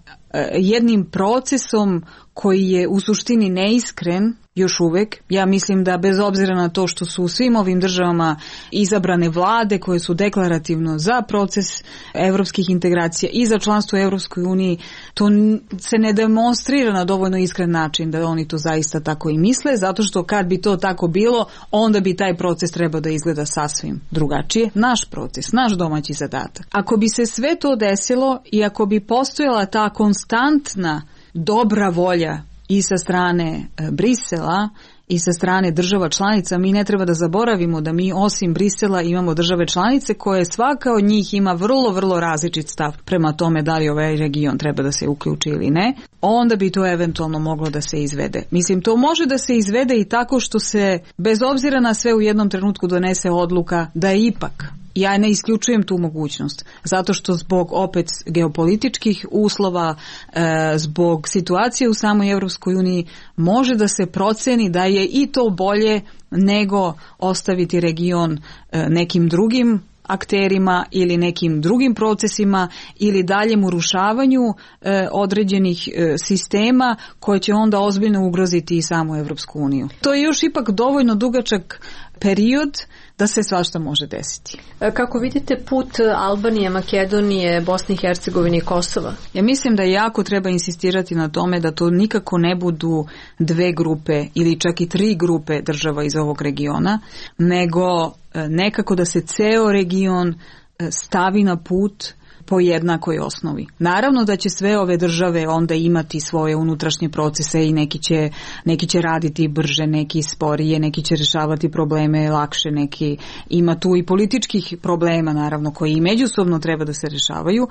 jednim procesom koji je u suštini neiskren, još uvek. Ja mislim da bez obzira na to što su u svim ovim državama izabrane vlade koje su deklarativno za proces evropskih integracija i za članstvo u Evropskoj uniji, to se ne demonstrira na dovoljno iskren način da oni to zaista tako i misle, zato što kad bi to tako bilo, onda bi taj proces trebao da izgleda sasvim drugačije. Naš proces, naš domaći zadatak. Ako bi se sve to desilo i ako bi postojala ta konstantna dobra volja i sa strane Brisela i sa strane država članica, mi ne treba da zaboravimo da mi osim Brisela imamo države članice koje svaka od njih ima vrlo, vrlo različit stav prema tome da li ovaj region treba da se uključi ili ne, onda bi to eventualno moglo da se izvede. Mislim, to može da se izvede i tako što se, bez obzira na sve, u jednom trenutku donese odluka da je ipak, ja ne isključujem tu mogućnost, zato što zbog opet geopolitičkih uslova, e, zbog situacije u samoj Evropskoj uniji, može da se proceni da je i to bolje nego ostaviti region e, nekim drugim akterima ili nekim drugim procesima ili daljem urušavanju e, određenih e, sistema koje će onda ozbiljno ugroziti i samu Evropsku uniju. To je još ipak dovoljno dugačak period da se svašta može desiti. Kako vidite put Albanije, Makedonije, Bosne i Hercegovine i Kosova? Ja mislim da jako treba insistirati na tome da to nikako ne budu dve grupe ili čak i tri grupe država iz ovog regiona, nego nekako da se ceo region stavi na put po jednakoj osnovi. Naravno da će sve ove države onda imati svoje unutrašnje procese i neki će, neki će raditi brže, neki sporije, neki će rješavati probleme lakše, neki ima tu i političkih problema naravno koji i međusobno treba da se rješavaju,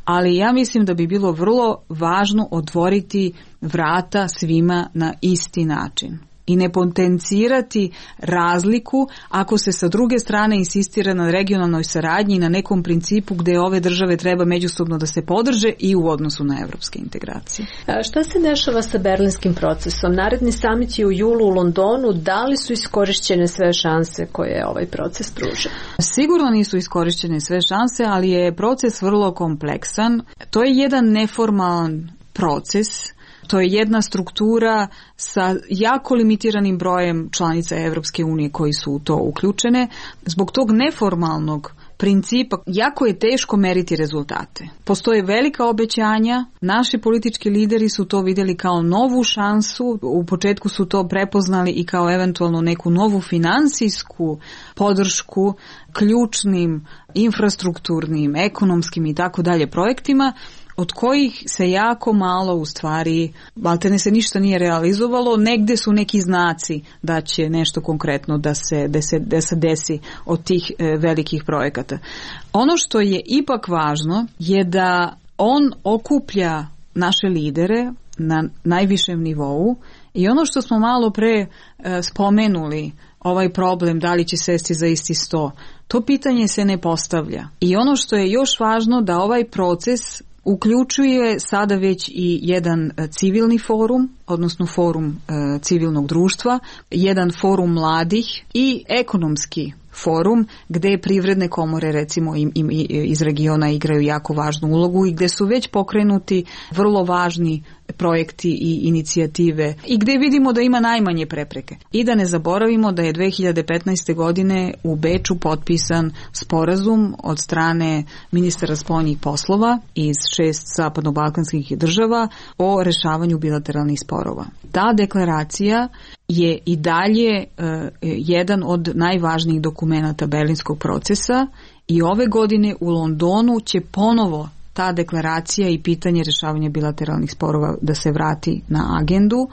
ali ja mislim da bi bilo vrlo važno otvoriti vrata svima na isti način i ne potencirati razliku ako se sa druge strane insistira na regionalnoj saradnji i na nekom principu gdje ove države treba međusobno da se podrže i u odnosu na evropske integracije. A šta se dešava sa berlinskim procesom? Naredni samit je u julu u Londonu. Da li su iskorišćene sve šanse koje ovaj proces pruža? Sigurno nisu iskorišćene sve šanse, ali je proces vrlo kompleksan. To je jedan neformalan proces. To je jedna struktura sa jako limitiranim brojem članica Evropske unije koji su u to uključene. Zbog tog neformalnog principa jako je teško meriti rezultate. Postoje velika obećanja, naši politički lideri su to vidjeli kao novu šansu, u početku su to prepoznali i kao eventualno neku novu financijsku podršku ključnim infrastrukturnim, ekonomskim i tako dalje projektima, od kojih se jako malo u stvari, maltene se ništa nije realizovalo, negdje su neki znaci da će nešto konkretno da se, da se, da se desi od tih e, velikih projekata. Ono što je ipak važno je da on okuplja naše lidere na najvišem nivou i ono što smo malo pre e, spomenuli, ovaj problem da li će sesti za isti sto, to pitanje se ne postavlja. I ono što je još važno da ovaj proces uključuje sada već i jedan civilni forum, odnosno forum e, civilnog društva, jedan forum mladih i ekonomski forum gdje privredne komore recimo im, im, iz regiona igraju jako važnu ulogu i gdje su već pokrenuti vrlo važni projekti i inicijative i gdje vidimo da ima najmanje prepreke. I da ne zaboravimo da je dve hiljade petnaeste. godine u Beču potpisan sporazum od strane ministara spoljnih poslova iz šest zapadno-balkanskih država o rešavanju bilateralnih sporova. Ta deklaracija je i dalje uh, jedan od najvažnijih dokumenata Berlinskog procesa i ove godine u Londonu će ponovo ta deklaracija i pitanje rješavanja bilateralnih sporova da se vrati na agendu,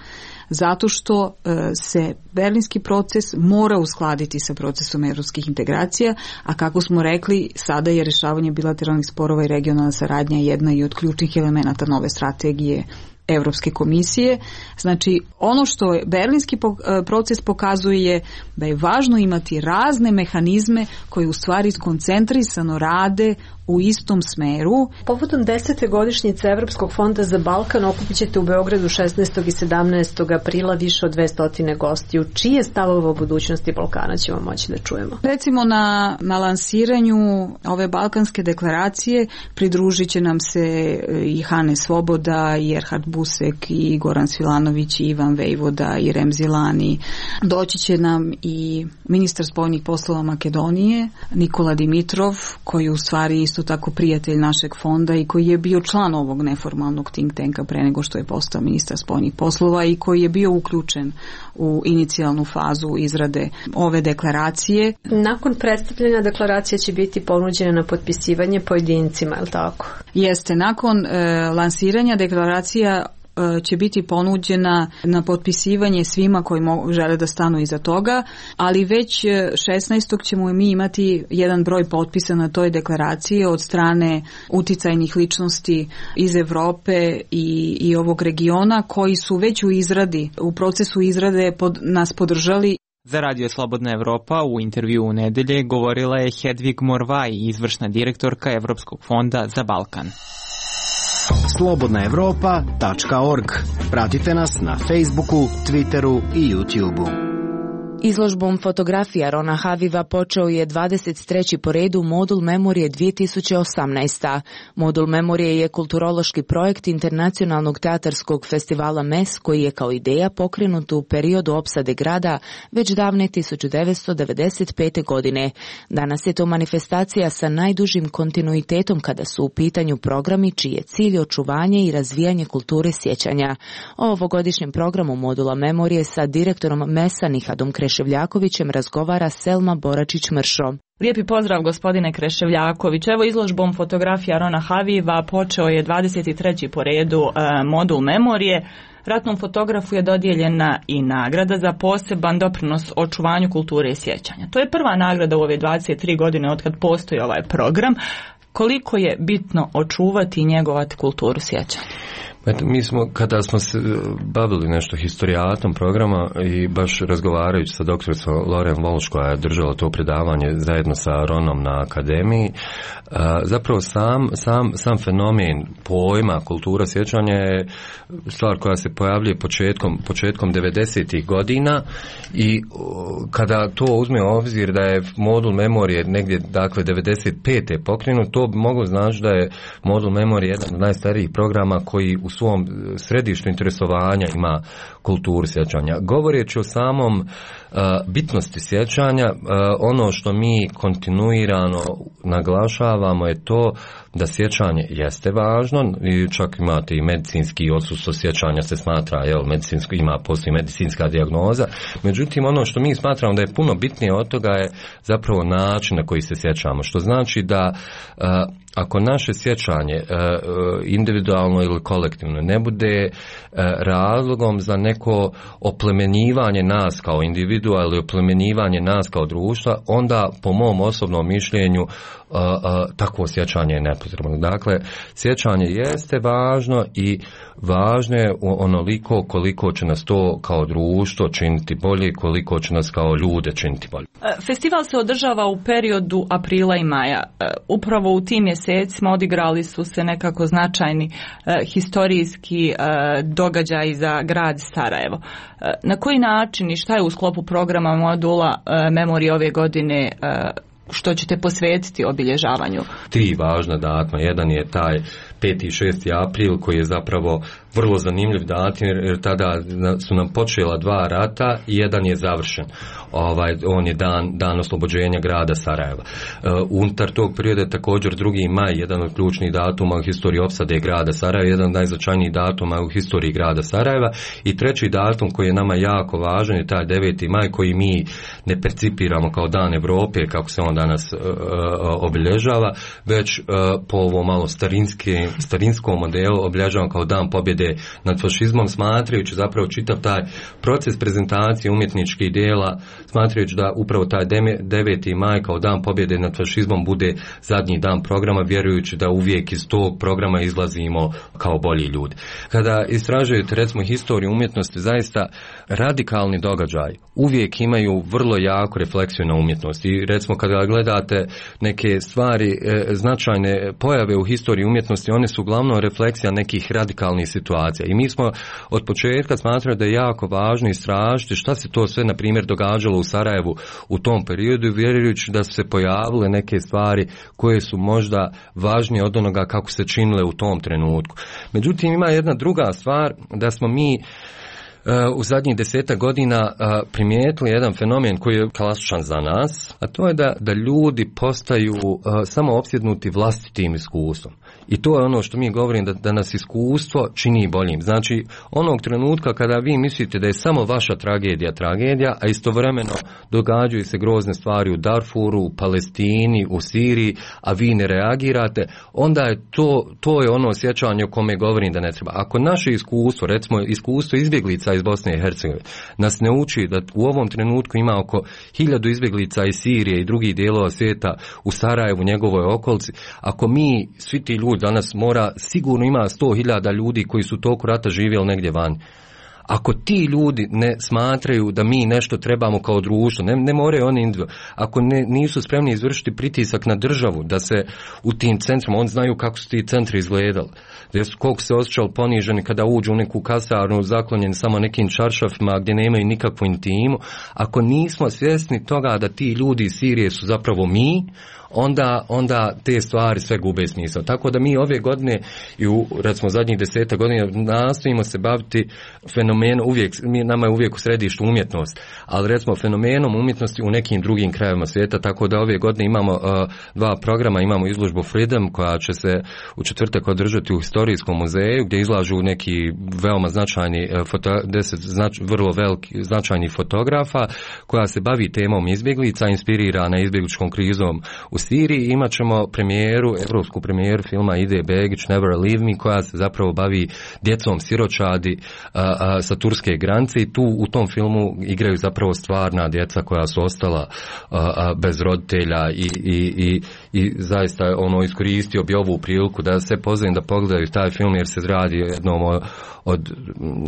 zato što uh, se berlinski proces mora uskladiti sa procesom evropskih integracija, a kako smo rekli, sada je rješavanje bilateralnih sporova i regionalna saradnja jedna i od ključnih elemenata nove strategije Evropske komisije. Znači, ono što je berlinski proces pokazuje je da je važno imati razne mehanizme koji u stvari koncentrisano rade u istom smeru. Povodom desete godišnjice Evropskog fonda za Balkan okupit ćete u Beogradu šesnaestog i sedamnaestog aprila više od dvesta gostiju. Čije stavove o budućnosti Balkana ćemo moći da čujemo? Recimo na, na lansiranju ove Balkanske deklaracije pridružit će nam se i Hane Svoboda i Erhard Busek i Goran Svilanović i Ivan Vejvoda i Remzi Lani. Doći će nam i ministar spoljnih poslova Makedonije Nikola Dimitrov, koji je u stvari isto tako prijatelj našeg fonda i koji je bio član ovog neformalnog think tanka pre nego što je postao ministar spoljnih poslova i koji je bio uključen u inicijalnu fazu izrade ove deklaracije. Nakon predstavljanja deklaracije će biti ponuđena na potpisivanje pojedincima, je li tako? Jeste, nakon e, lansiranja deklaracija će biti ponuđena na potpisivanje svima koji mo- žele da stanu iza toga, ali već šesnaestog ćemo mi imati jedan broj potpisa na toj deklaraciji od strane uticajnih ličnosti iz Evrope i, i ovog regiona koji su već u izradi, u procesu izrade pod, nas podržali. Za Radio Slobodna Evropa u intervju u nedelje govorila je Hedvig Morvaj, izvršna direktorka Evropskog fonda za Balkan. slobodna evropa tačka org. Pratite nas na Facebooku, Twitteru i YouTubeu. Izložbom fotografija Rona Haviva počeo je dvadeset treći po redu Modul Memorije dvije tisuće osamnaeste. Modul Memorije je kulturološki projekt Internacionalnog teatarskog festivala M E S koji je kao ideja pokrenut u periodu opsade grada već davne tisuću devetsto devedeset pete. godine. Danas je to manifestacija sa najdužim kontinuitetom kada su u pitanju programi čiji je cilj očuvanje i razvijanje kulture sjećanja. O ovogodišnjem programu Modula Memorije sa direktorom M E S-a Nihadom Kreševljakovićem razgovara Selma Boračić-Mršo. Lijepi pozdrav gospodine Kreševljaković. Evo izložbom fotografija Rona Haviva počeo je dvadeset treći po redu e, Modul Memorije. Ratnom fotografu je dodijeljena i nagrada za poseban doprinos očuvanju kulture i sjećanja. To je prva nagrada u ove dvadeset tri godine od kad postoji ovaj program. Koliko je bitno očuvati i njegovati kulturu sjećanja? Eto, mi smo, kada smo se bavili nešto historijatom programa i baš razgovarajući sa doktoricom Loren Walsh koja je držala to predavanje zajedno sa Ronom na akademiji, zapravo sam, sam, sam fenomen pojma kultura sjećanja je stvar koja se pojavljuje početkom, početkom devedesetih godina i kada to uzme u obzir da je modul memorije negdje, dakle, devedeset pete pokrenut, to bi moglo znači da je modul memorije jedan od najstarijih programa koji u svom središtu interesovanja ima kulturu sjećanja. Govoreći o samom uh, bitnosti sjećanja, uh, ono što mi kontinuirano naglašavamo je to da sjećanje jeste važno i čak imate i medicinski odsustvo sjećanja se smatra, jel, medicinsko, ima postoji medicinska dijagnoza. Međutim, ono što mi smatramo da je puno bitnije od toga je zapravo način na koji se sjećamo, što znači da uh, ako naše sjećanje individualno ili kolektivno ne bude razlogom za neko oplemenjivanje nas kao individua ili oplemenjivanje nas kao društva, onda po mom osobnom mišljenju takvo sjećanje je nepotrebno. Dakle, sjećanje jeste važno i važno je onoliko koliko će nas to kao društvo činiti bolje, koliko će nas kao ljude činiti bolje. Festival se održava u periodu aprila i maja. Upravo u tim mjesecima odigrali su se nekako značajni eh, historijski eh, događaji za grad Sarajevo. Eh, na koji način i šta je u sklopu programa modula eh, memorije ove godine eh, što ćete posvetiti obilježavanju? Tri važna datuma. Jedan je taj peti i šesti april koji je zapravo vrlo zanimljiv datum jer tada su nam počela dva rata i jedan je završen. Ovaj, on je dan, dan oslobođenja grada Sarajeva. Uh, unutar tog perioda je također drugi maj, jedan od ključnih datuma u historiji opsade grada Sarajeva, jedan od najznačajnijih datuma u historiji grada Sarajeva i treći datum koji je nama jako važan je taj deveti maj koji mi ne percipiramo kao dan Evrope kako se on danas uh, uh, obilježava, već uh, po ovo malo starinske, starinskom modelu obilježavamo kao dan pobjede nad fašizmom, smatrajući zapravo čitav taj proces prezentacije umjetničkih djela, smatrajući da upravo taj deveti maj kao dan pobjede nad fašizmom bude zadnji dan programa, vjerujući da uvijek iz tog programa izlazimo kao bolji ljudi. Kada istražujete recimo historiju umjetnosti, zaista radikalni događaj uvijek imaju vrlo jaku refleksiju na umjetnost i recimo kada gledate neke stvari, e, značajne pojave u historiji umjetnosti, one su uglavnom refleksija nekih radikalnih situacija. I mi smo od početka smatrali da je jako važno istražiti šta se to sve, na primjer, događalo u Sarajevu u tom periodu, vjerujući da su se pojavile neke stvari koje su možda važnije od onoga kako se činile u tom trenutku. Međutim, ima jedna druga stvar, da smo mi u zadnjih desetak godina primijetili jedan fenomen koji je klasičan za nas, a to je da, da ljudi postaju samo opsjednuti vlastitim iskustvom. I to je ono što mi govorim, da, da nas iskustvo čini boljim. Znači, onog trenutka kada vi mislite da je samo vaša tragedija tragedija, a istovremeno događaju se grozne stvari u Darfuru, u Palestini, u Siriji, a vi ne reagirate, onda je to, to je ono osjećanje o kome govorim da ne treba. Ako naše iskustvo, recimo iskustvo izbjeglica iz Bosne i Hercegovine, nas ne uči da u ovom trenutku ima oko hiljadu izbjeglica iz Sirije i drugih dijelova svijeta u Sarajevu, njegovoj okolici, ako mi, svi ti ljudi danas mora, sigurno ima sto hiljada ljudi koji su toku rata živjeli negdje van. Ako ti ljudi ne smatraju da mi nešto trebamo kao društvo, ne, ne moraju oni individualno, ako ne, nisu spremni izvršiti pritisak na državu, da se u tim centrima, oni znaju kako su ti centri izgledali, gdje su, koliko se osjećali poniženi kada uđu u neku kasarnu zaklonjeni samo nekim čaršafima gdje nemaju nikakvu intimu, ako nismo svjesni toga da ti ljudi iz Sirije su zapravo mi, onda, onda te stvari sve gube smisao. Tako da mi ove godine i u, recimo, zadnjih deseta godina nastojimo se baviti fenomenom, uvijek, mi, nama je uvijek u središtu umjetnost, ali recimo fenomenom umjetnosti u nekim drugim krajevima svijeta, tako da ove godine imamo uh, dva programa, imamo izložbu Freedom koja će se u četvrtak održati u Historijskom muzeju gdje izlažu neki veoma značajni, uh, foto, deset znač, vrlo veliki, značajni fotografa koja se bavi temom izbjeglica, inspirirana izbjegličkom krizom u Siriji. Imat ćemo premijeru, evropsku premijeru filma Ide Begić, Never Leave Me, koja se zapravo bavi djecom siročadi a, a, sa turske granice i tu u tom filmu igraju zapravo stvarna djeca koja su ostala a, a, bez roditelja i, i, i, i zaista ono iskoristio bi ovu priliku da se pozovem da pogledaju taj film jer se radi o jednom od, od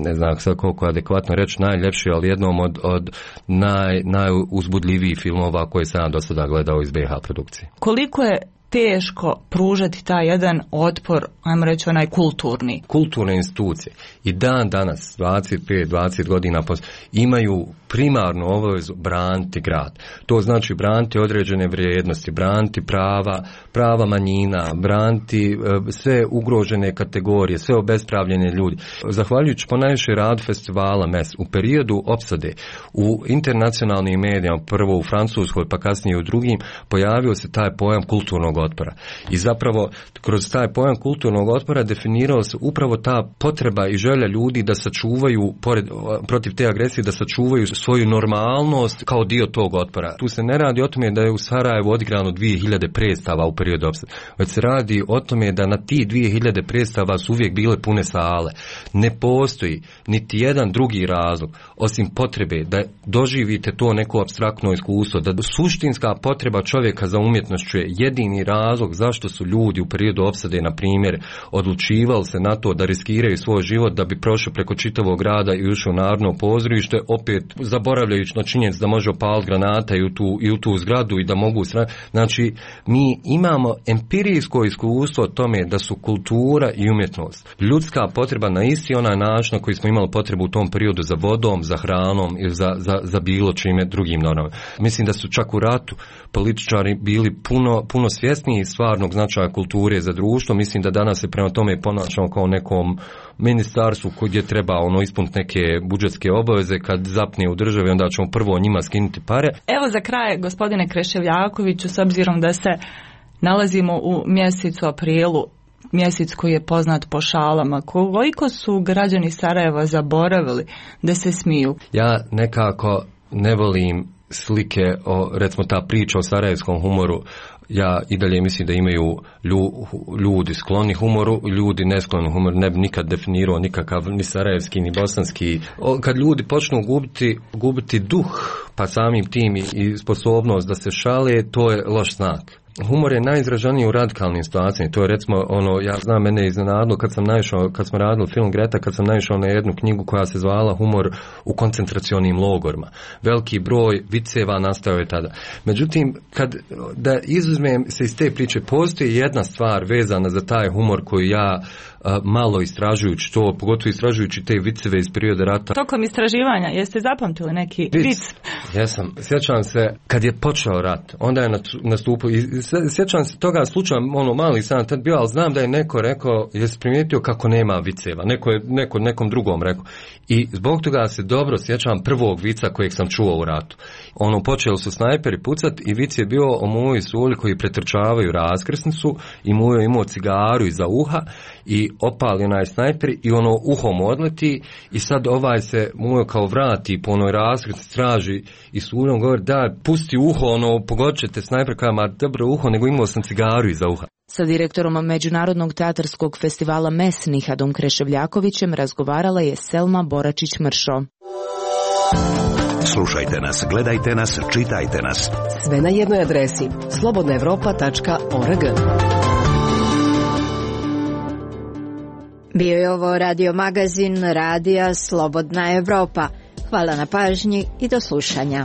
ne znam sad koliko adekvatno reći najljepši, ali jednom od, od naj, najuzbudljivijih filmova koje sam do sada gledao iz B H produkcije. Koliko je teško pružati taj jedan otpor, ajmo reći onaj kulturni? Kulturne institucije i dan danas, dvadeset pet dvadeset godina imaju primarnu obavezu braniti grad. To znači braniti određene vrijednosti, braniti prava, prava manjina, braniti uh, sve ugrožene kategorije, sve obespravljene ljudi. Zahvaljujući ponajviše radu festivala M E S u periodu opsade u internacionalnim medijama, prvo u Francuskoj pa kasnije u drugim, pojavio se taj pojam kulturnog otpora. I zapravo kroz taj pojam kulturnog otpora definirao se upravo ta potreba i želja ljudi da sačuvaju, pored, protiv te agresije, da sačuvaju svoju normalnost kao dio tog otpora. Tu se ne radi o tome da je u Sarajevu odigrano dvije hiljade predstava u periodu opsade, već se radi o tome da na ti dvije hiljade predstava su uvijek bile pune sale. Ne postoji niti jedan drugi razlog osim potrebe da doživite to neko apstraktno iskustvo, da suštinska potreba čovjeka za umjetnošću je jedini razlog zašto su ljudi u periodu opsade, na primjer, odlučivali se na to da riskiraju svoj život da bi prošao preko čitavog grada i ušao u Narodno pozorište, opet zaboravljajući na činjenicu da može opaliti granata i u tu, i u tu zgradu i da mogu sra... Znači, mi imamo empirijsko iskustvo o tome da su kultura i umjetnost ljudska potreba na isti onaj način na koji smo imali potrebu u tom periodu za vodom, za hranom ili za, za, za bilo čime drugim normama. Mislim da su čak u ratu političari bili puno, puno svjesniji stvarnog značaja kulture za društvo. Mislim da danas se prema tome ponašamo kao nekom ministarstvu gdje treba ono ispuniti neke budžetske obaveze, kad zapne u državi onda ćemo prvo njima skinuti pare. Evo za kraj, gospodine Kreševljakoviću, s obzirom da se nalazimo u mjesecu aprilu, mjesec koji je poznat po šalama, koliko su građani Sarajeva zaboravili da se smiju? Ja nekako ne volim slike o, recimo ta priča o sarajevskom humoru. Ja i dalje mislim da imaju ljudi skloni humoru, ljudi neskloni humoru. Ne bi nikad definirao nikakav ni sarajevski ni bosanski. Kad ljudi počnu gubiti, gubiti duh, pa samim tim i sposobnost da se šale, to je loš znak. humor je najizraženiji u radikalnim situacijama. To je recimo ono, ja znam, mene iznenadilo kad sam naišao, kad smo radili film Greta, kad sam naišao na jednu knjigu koja se zvala Humor u koncentracionim logorima. Veliki broj viceva nastao je tada. Međutim, kad da izuzmem se iz te priče, postoji jedna stvar vezana za taj humor koju ja a, malo istražujući to, pogotovo istražujući te viceve iz perioda rata. Tokom istraživanja, jeste zapamtili neki vic? vic? Jesam. Sjećam se, kad je počeo rat, onda je nastupio, sjećam se toga slučaja, ono, mali sam tad bio, ali znam da je neko rekao, jesi primijetio kako nema viceva, neko je neko, nekom drugom rekao. I zbog toga se dobro sjećam prvog vica kojeg sam čuo u ratu. Ono, počeli su snajperi pucat i vic je bio o moji suli koji pretrčavaju raskrsnicu i mu je imao cigaru iza uha i opali onaj snajper i ono uhom odleti i sad ovaj se mu kao vrati po onoj raskrsnici, traži i suljom govori da pusti uho, ono pogodit ćete snajper, kao ma dobro uho, nego imao sam cigaru iza uha. Sa direktorom Međunarodnog teatarskog festivala M E S Nihadom Kreševljakovićem razgovarala je Selma Boračić-Mršo. Slušajte nas, gledajte nas, čitajte nas. Sve na jednoj adresi slobodna evropa tačka org. Bio je ovo radio magazin Radija Slobodna Evropa. Hvala na pažnji i do slušanja.